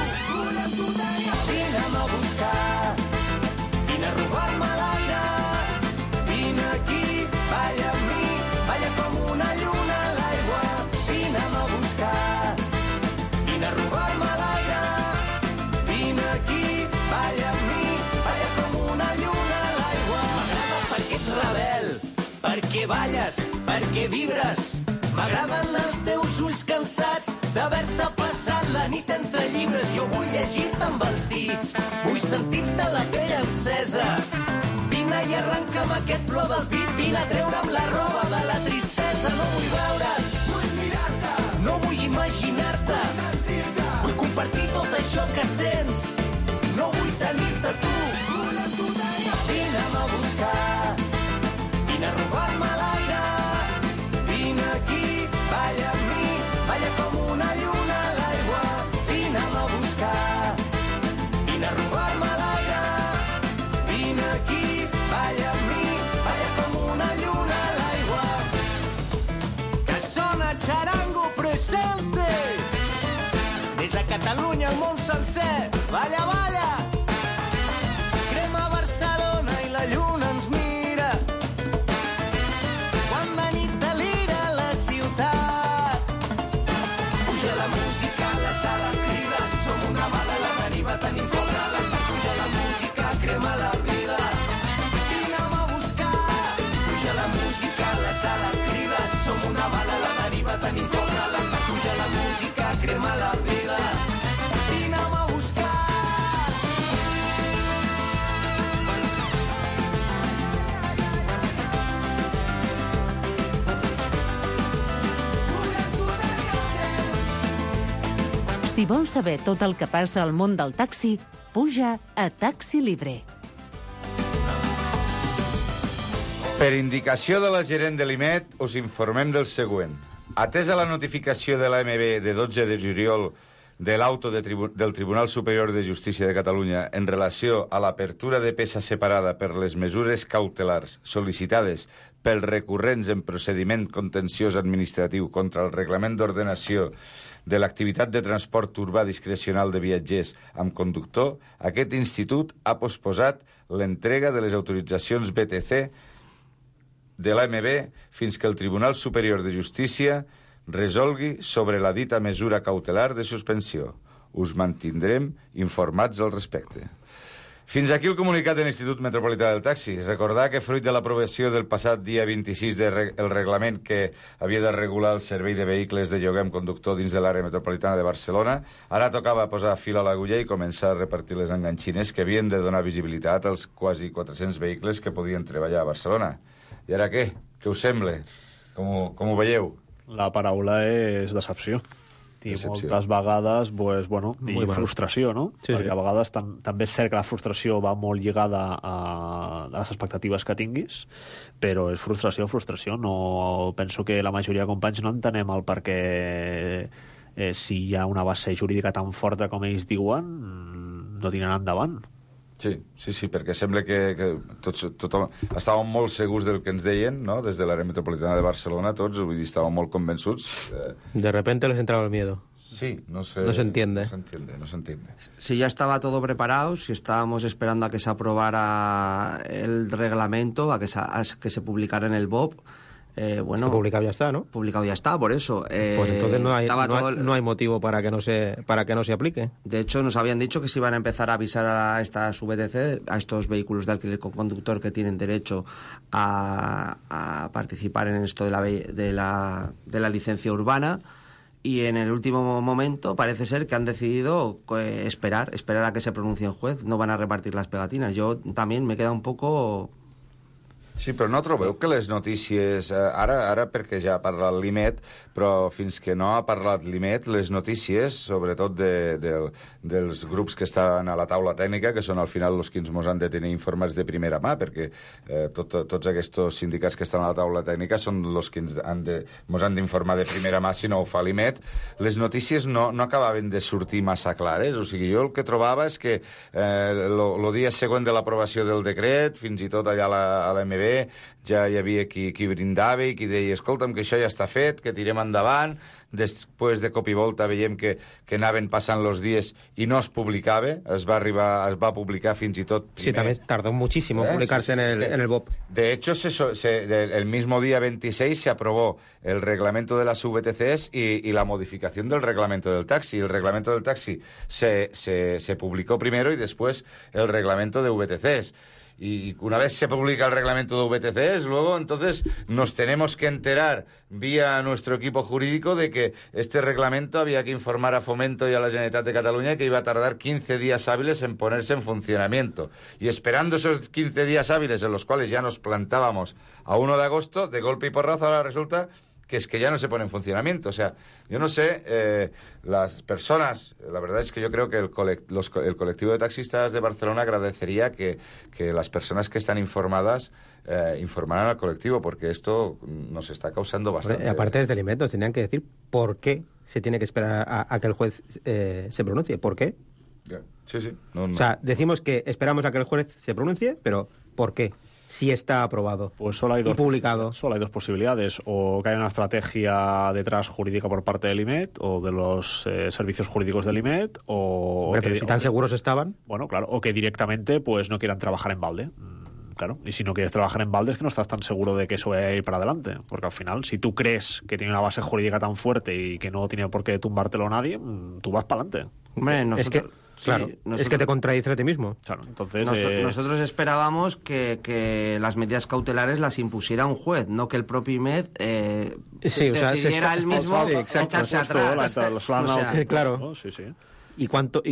perquè balles, perquè vibres. M'agraden els teus ulls cansats d'haver-se passat la nit entre llibres. Jo vull llegir-te amb els dits, vull sentir-te la pell encesa. Vine i arrenca'm aquest plor del pit, vine a treure'm la roba de la tristesa. No vull veure't, vull mirar-te, no vull imaginar-te, sentir-te, vull compartir tot això que sents, no vull tenir-te tu. Vine'm a buscar, vine a robar-me l'aire, vine aquí, balla amb mi, balla com una lluna a l'aigua. Vine'm a buscar, vine a robar-me l'aire, vine aquí, balla amb mi, balla com una lluna a l'aigua. Que sona Charango Presente, des de Catalunya al món sencer. Balla, balla, crema Barcelona i la lluna ens mira. Quan de nit delira la ciutat, puja la música, la sala crida, som una bala a la deriva, tenim foc a la sang. Puja la música, crema la vida, vine'm a buscar. Puja la música, la sala crida, som una bala a la deriva, tenim foc a la sang. Puja la música, crema la vida, vine'm a buscar. Si vols saber tot el que passa al món del taxi, puja a Taxi Libre. Per indicació de la gerent de l'IMET, us informem del següent. Atesa la notificació de l'AMB de 12 de juliol de l'auto del Tribunal Superior de Justícia de Catalunya en relació a l'apertura de peça separada per les mesures cautelars sol·licitades pels recurrents en procediment contenciós administratiu contra el Reglament d'Ordenació de l'activitat de transport urbà discrecional de viatgers amb conductor, aquest institut ha posposat l'entrega de les autoritzacions BTC de l'AMB fins que el Tribunal Superior de Justícia resolgui sobre la dita mesura cautelar de suspensió. Us mantindrem informats al respecte. Fins aquí el comunicat de l'Institut Metropolità del Taxi. Recordar que fruit de l'aprovació del passat dia 26 del reglament que havia de regular el servei de vehicles de lloguer amb conductor dins de l'àrea metropolitana de Barcelona, ara tocava posar fil a l'agulla i començar a repartir les enganxines que havien de donar visibilitat als quasi 400 vehicles que podien treballar a Barcelona. I ara què? Què us sembla? Com ho veieu? La paraula és decepció. I moltes vegades, pues, bueno, i frustració, no? Sí, perquè a vegades també és cert que la frustració va molt lligada a les expectatives que tinguis, però és frustració. No, penso que la majoria de companys no entenem el perquè si hi ha una base jurídica tan forta com ells diuen, no tiraran endavant. Sí, perquè sembla que tothom estàvem molt segurs del que ens deien, no? Des de l'àrea metropolitana de Barcelona, tots, vull dir, estàvem molt convençuts. De repente les entraba el miedo. Sí, no sé. No se entiende. No se entiende. Si ya estaba todo preparado, si estábamos esperando a que se aprobara el reglamento, a que se publicara en el BOP, bueno, publicado ya está, ¿no? Publicado ya está, por eso. Pues entonces no hay motivo para que no se aplique. De hecho, nos habían dicho que se iban a empezar a avisar a estas VTC, a estos vehículos de alquiler con conductor que tienen derecho a participar en esto de la licencia urbana. Y en el último momento parece ser que han decidido esperar a que se pronuncie el juez. No van a repartir las pegatinas. Yo también me queda un poco... Sí, però no trobeu que les notícies... Ara perquè ja ha parlat l'IMET, però fins que no ha parlat l'IMET, les notícies, sobretot dels grups que estan a la taula tècnica, que són al final els que ens han de tenir informats de primera mà, perquè tots aquests sindicats que estan a la taula tècnica són els que ens han d'informar de primera mà si no ho fa l'IMET, les notícies no acabaven de sortir massa clares. O sigui, jo el que trobava és que el dia següent de l'aprovació del decret, fins i tot allà a l'AMB, ja hi havia qui brindava i qui deia, escolta'm, que això ja està fet, que tirem endavant. Després de cop i volta veiem que anaven passant els dies i no es publicava, es va publicar fins i tot primer. Sí, también tardó muchísimo publicarse en el BOP. De hecho, el mismo día 26 se aprobó el reglamento de las VTCs y la modificación del reglamento del taxi. El reglamento del taxi se publicó primero y después el reglamento de VTCs. y una vez se publica el reglamento de VTCs, luego entonces nos tenemos que enterar vía nuestro equipo jurídico de que este reglamento había que informar a Fomento y a la Generalitat de Cataluña que iba a tardar 15 días hábiles en ponerse en funcionamiento. Y esperando esos 15 días hábiles en los cuales ya nos plantábamos a 1 de agosto, de golpe y porrazo ahora resulta que es que ya no se pone en funcionamiento. O sea, yo no sé, las personas, la verdad es que yo creo que el colectivo de taxistas de Barcelona agradecería que las personas que están informadas informaran al colectivo, porque esto nos está causando bastante... Aparte desde el IMET nos tenían que decir por qué se tiene que esperar a que el juez se pronuncie. ¿Por qué? Sí. No. O sea, decimos que esperamos a que el juez se pronuncie, pero ¿por qué? Si está aprobado pues solo hay y publicado. Solo hay dos posibilidades. O que haya una estrategia detrás jurídica por parte del IMET o de los servicios jurídicos del IMET. Pero si tan seguros estaban. Bueno, claro. O que directamente pues no quieran trabajar en balde. Claro. Y si no quieres trabajar en balde es que no estás tan seguro de que eso vaya a ir para adelante. Porque al final, si tú crees que tiene una base jurídica tan fuerte y que no tiene por qué tumbártelo nadie, tú vas para adelante. Hombre, nosotros... Claro, es que te contradices a ti mismo. Claro, entonces nosotros esperábamos que las medidas cautelares las impusiera un juez, no que el propio IMED decidiera él mismo echarse atrás. Claro. Sí. ¿Y cuánto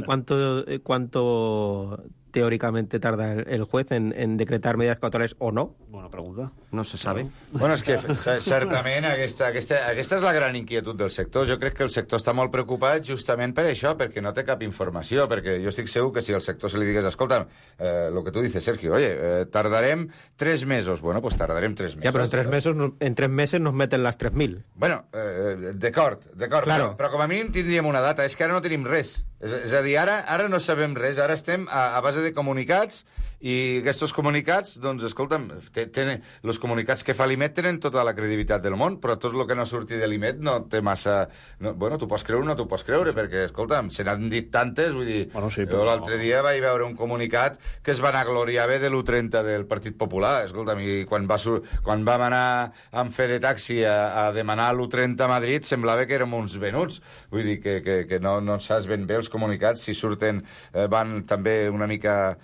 teóricamente tarda el juez en decretar medidas cautelares o no? Bona pregunta. No se sabe. Bueno, és que certament aquesta és la gran inquietud del sector. Jo crec que el sector està molt preocupat justament per això, perquè no té cap informació, perquè jo estic segur que si al sector se li digués, escolta, lo que tu dices, Sergio, oye, tardarem 3 mesos. Bueno, pues tardarem 3 mesos. Ja, però en 3 meses nos meten les 3.000. Bueno, d'acord, claro. però com a mínim tindríem una data. És que ara no tenim res. És a dir, ara no sabem res. Ara estem a base de comunicats i aquests comunicats, doncs, escolta'm, els comunicats que fa l'IMET tenen tota la credibilitat del món, però tot el que no surti de l'IMET no té massa... No, bueno, tu pots creure o no t'ho pots creure, perquè, escolta'm, se n'han dit tantes, vull dir... Bueno, sí, jo l'altre dia vaig veure un comunicat que es vanagloriava de l'1.30 del Partit Popular, escolta'm, i quan vam anar amb fe de taxi a demanar l'1.30 a Madrid semblava que érem uns venuts. Vull dir que no saps ben bé els comunicats, si surten, van també una mica...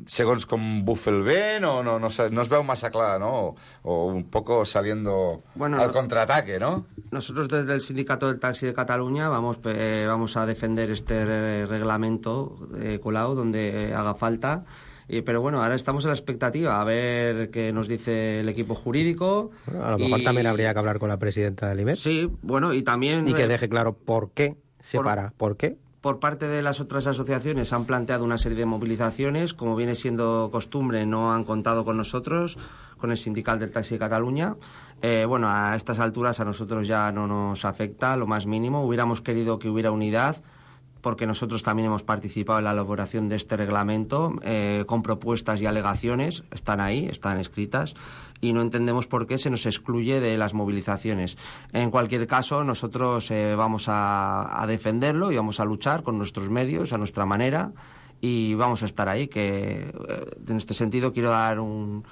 segons com bufa el vent no es veu massa clar, ¿no? O un poco saliendo al contraataque, ¿no? Nosotros desde el Sindicato del Taxi de Cataluña vamos a defender este reglamento colado donde haga falta. Pero bueno, ahora estamos en la expectativa a ver qué nos dice el equipo jurídico. Bueno, a lo mejor también habría que hablar con la presidenta del IMET. Sí, bueno, y también... Y que deje claro por qué se para. ¿Por qué? Por parte de las otras asociaciones han planteado una serie de movilizaciones. Como viene siendo costumbre, no han contado con nosotros, con el Sindical del Taxi de Cataluña. Bueno, a estas alturas a nosotros ya no nos afecta lo más mínimo. Hubiéramos querido que hubiera unidad, porque nosotros también hemos participado en la elaboración de este reglamento, con propuestas y alegaciones. Están ahí, están escritas. Y no entendemos por qué se nos excluye de las movilizaciones. En cualquier caso, nosotros vamos a defenderlo y vamos a luchar con nuestros medios, a nuestra manera, y vamos a estar ahí. Que en este sentido quiero dar un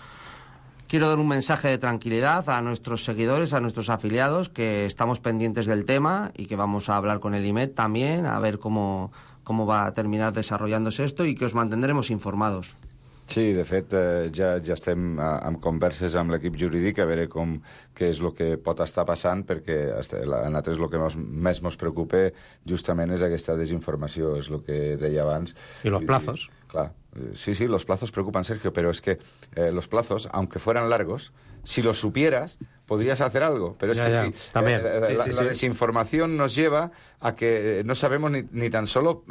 mensaje de tranquilidad a nuestros seguidores, a nuestros afiliados, que estamos pendientes del tema y que vamos a hablar con el IMET también, a ver cómo va a terminar desarrollándose esto, y que os mantendremos informados. Sí, de fet, ja estem en converses amb l'equip jurídic a veure què és el que pot estar passant, perquè a nosaltres el que més ens preocupa justament és aquesta desinformació, és el que deia abans. I los plazos. Claro, sí, los plazos preocupan, Sergio, pero es que los plazos, aunque fueran largos, si los supieras, podrías hacer algo. Pero es la desinformación nos lleva a que no sabemos ni tan solo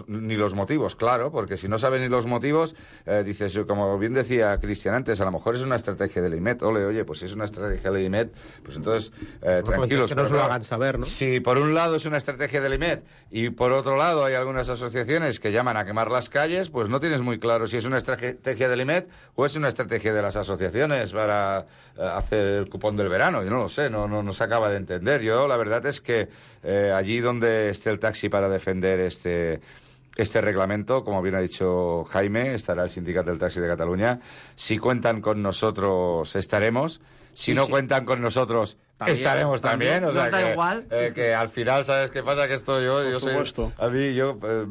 ni los motivos, claro, porque si no sabes ni los motivos, dices, como bien decía Cristian antes, a lo mejor es una estrategia del IMET. Oye, pues si es una estrategia del IMET, pues entonces tranquilos. Que no se lo hagan saber, ¿no? Si por un lado es una estrategia del IMET y por otro lado hay algunas asociaciones que llaman a quemar las calles, pues no tienes muy claro si es una estrategia del IMET o es una estrategia de las asociaciones para hacer el cupón del verano. Yo no lo sé, no se acaba de entender. Yo la verdad es que allí donde esté el taxi para defender este reglamento, como bien ha dicho Jaime, estará el Sindicato del Taxi de Cataluña. Si cuentan con nosotros, estaremos. Si no cuentan con nosotros, estaremos también. O sea, da que, igual. Que al final, ¿sabes qué pasa? Que esto yo supuesto. A mí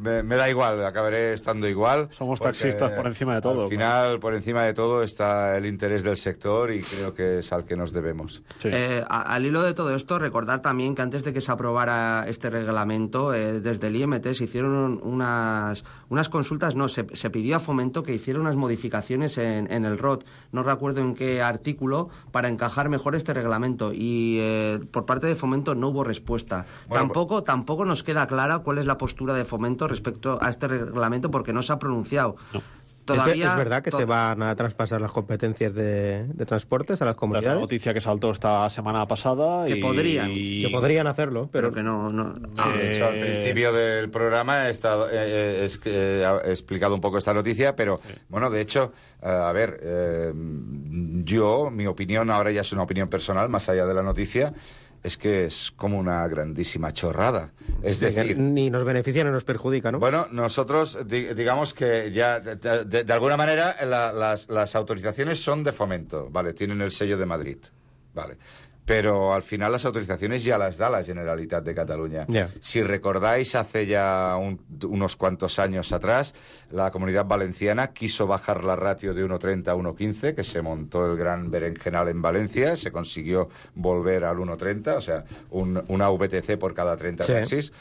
me da igual, acabaré estando igual. Somos taxistas por encima de todo. Al final, por encima de todo, está el interés del sector y creo que es al que nos debemos. Sí. Al hilo de todo esto, recordar también que antes de que se aprobara este reglamento, desde el IMT se hicieron unas consultas, se pidió a Fomento que hiciera unas modificaciones en el ROT, no recuerdo en qué artículo, para encajar mejor este reglamento, y por parte de Fomento no hubo respuesta. Bueno, Tampoco nos queda clara cuál es la postura de Fomento respecto a este reglamento, porque no se ha pronunciado. No. Todavía, ¿Es verdad que se van a traspasar las competencias de transportes a las La comunidades? noticia que saltó esta semana pasada. Que podrían. Que podrían hacerlo, pero que no. De hecho, al principio del programa he explicado un poco esta noticia, pero, bueno, de hecho, mi opinión ahora ya es una opinión personal, más allá de la noticia, es que es como una grandísima chorrada. Es decir, ni nos beneficia ni nos perjudica, ¿no? bueno, nosotros digamos que ya de alguna manera las autorizaciones son de Fomento, vale, tienen el sello de Madrid, vale. Pero al final las autorizaciones ya las da la Generalitat de Cataluña. Yeah. Si recordáis, hace ya unos cuantos años atrás, la Comunidad Valenciana quiso bajar la ratio de 1,30 a 1,15, que se montó el gran berenjenal en Valencia, se consiguió volver al 1,30, o sea, una VTC por cada 30 taxis.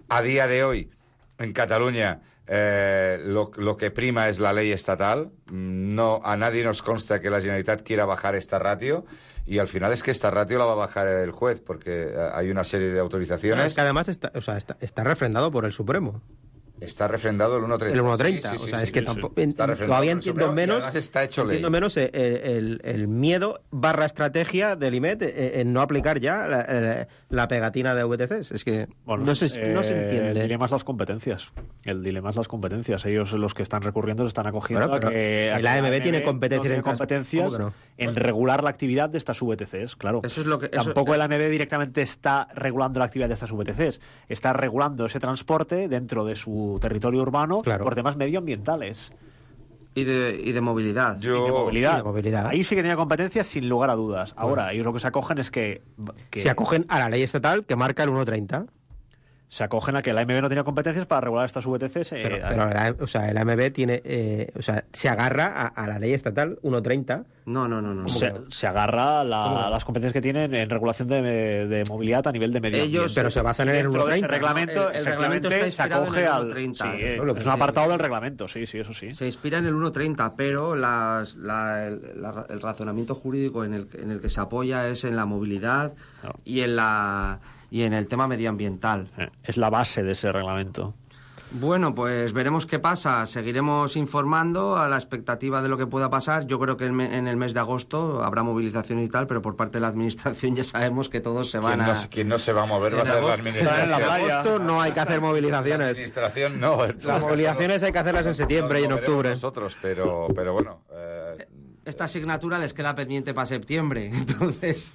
A día de hoy, en Cataluña, lo que prima es la ley estatal. No, a nadie nos consta que la Generalitat quiera bajar esta ratio. Y al final es que esta ratio la va a bajar el juez, porque hay una serie de autorizaciones. Es que además está refrendado por el Supremo. Está refrendado el 1,30. El 1,30. Sí, o sea, es que tampoco. entiendo Todavía entiendo menos. Está hecho ley. Entiendo menos el miedo / estrategia del IMET en no aplicar ya la pegatina de VTCs. Es que Bueno, no se entiende. El dilema es las competencias. Ellos, los que están recurriendo, se están acogiendo Bueno, a que el AMB tiene competencias en regular la actividad de estas VTCs, claro. Eso es lo que, Tampoco el AMB directamente está regulando la actividad de estas VTCs. Está regulando ese transporte dentro de su territorio urbano, claro, por temas medioambientales. Y de movilidad. Y de movilidad. Y de movilidad. Ahí sí que tenía competencias sin lugar a dudas. Ahora, ellos lo que se acogen es que se acogen a la ley estatal que marca el 1,30. Se acogen a que la AMB no tenía competencias para regular estas VTCs. Pero el AMB tiene, se agarra a la ley estatal 1,30. No. Se agarra a las competencias que tienen en regulación de movilidad a nivel de medio ambiente. Pero se basan en el 1,30. Ese reglamento, el reglamento está se inspirado acoge en el al 1,30. Sí, Eso es lo que es un apartado del reglamento, sí, eso sí. Se inspira en el 1,30, pero el razonamiento jurídico en el que se apoya es en la movilidad y en el tema medioambiental. Es la base de ese reglamento. Bueno, pues veremos qué pasa. Seguiremos informando a la expectativa de lo que pueda pasar. Yo creo que en el mes de agosto habrá movilizaciones y tal, pero por parte de la Administración ya sabemos que todos se van Quien no se va a mover va a ser la Administración. En agosto no hay que hacer movilizaciones. La Administración no. Las movilizaciones hay que hacerlas en septiembre y en octubre. Nosotros, pero bueno... Esta asignatura les queda pendiente para septiembre, entonces...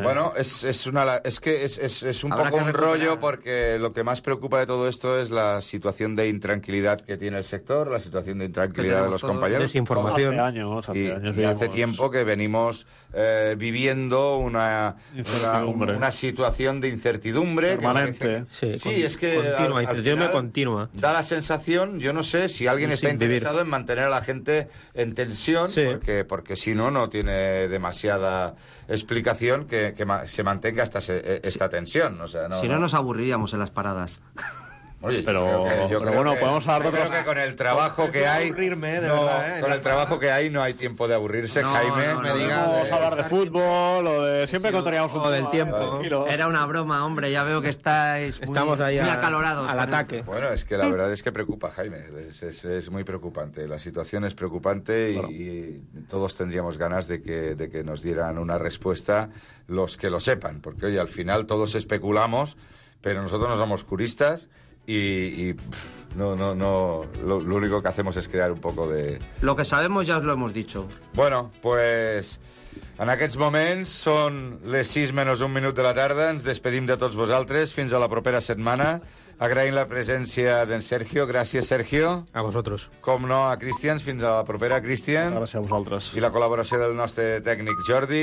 Bueno, es un poco un rollo, porque lo que más preocupa de todo esto es la situación de intranquilidad que tiene el sector, la situación de intranquilidad de los compañeros. Desinformación. Hace hace tiempo que venimos viviendo una situación de incertidumbre. Permanente. Es que continua. Da la sensación, yo no sé si alguien está interesado en mantener a la gente en tensión, porque si no tiene demasiada explicación que se mantenga esta tensión. O sea, si no nos aburriríamos en las paradas. Oye, pero bueno, podemos hablar de otros... Creo que con el trabajo que hay... con el trabajo que hay no hay tiempo de aburrirse, Jaime. Podemos hablar de fútbol o de... Siempre encontraríamos un del tiempo. Era una broma, hombre, ya veo que estamos ahí muy acalorados. Al ataque. Bueno, es que la verdad es que preocupa, Jaime. Es muy preocupante. La situación es preocupante y todos tendríamos ganas de que nos dieran una respuesta los que lo sepan. Porque, oye, al final todos especulamos, pero nosotros no somos juristas. Y lo único que hacemos es crear un poco de... Lo que sabemos ya os lo hemos dicho. Bueno, pues en aquests moments són les 6 menys un minut de la tarda. Ens despedim de tots vosaltres. Fins a la propera setmana. Agraïm la presència d'en Sergio. Gràcies, Sergio. A vosotros. Com no, a Cristians. Fins a la propera, Cristian. Gràcies a vosaltres. I la col·laboració del nostre tècnic Jordi.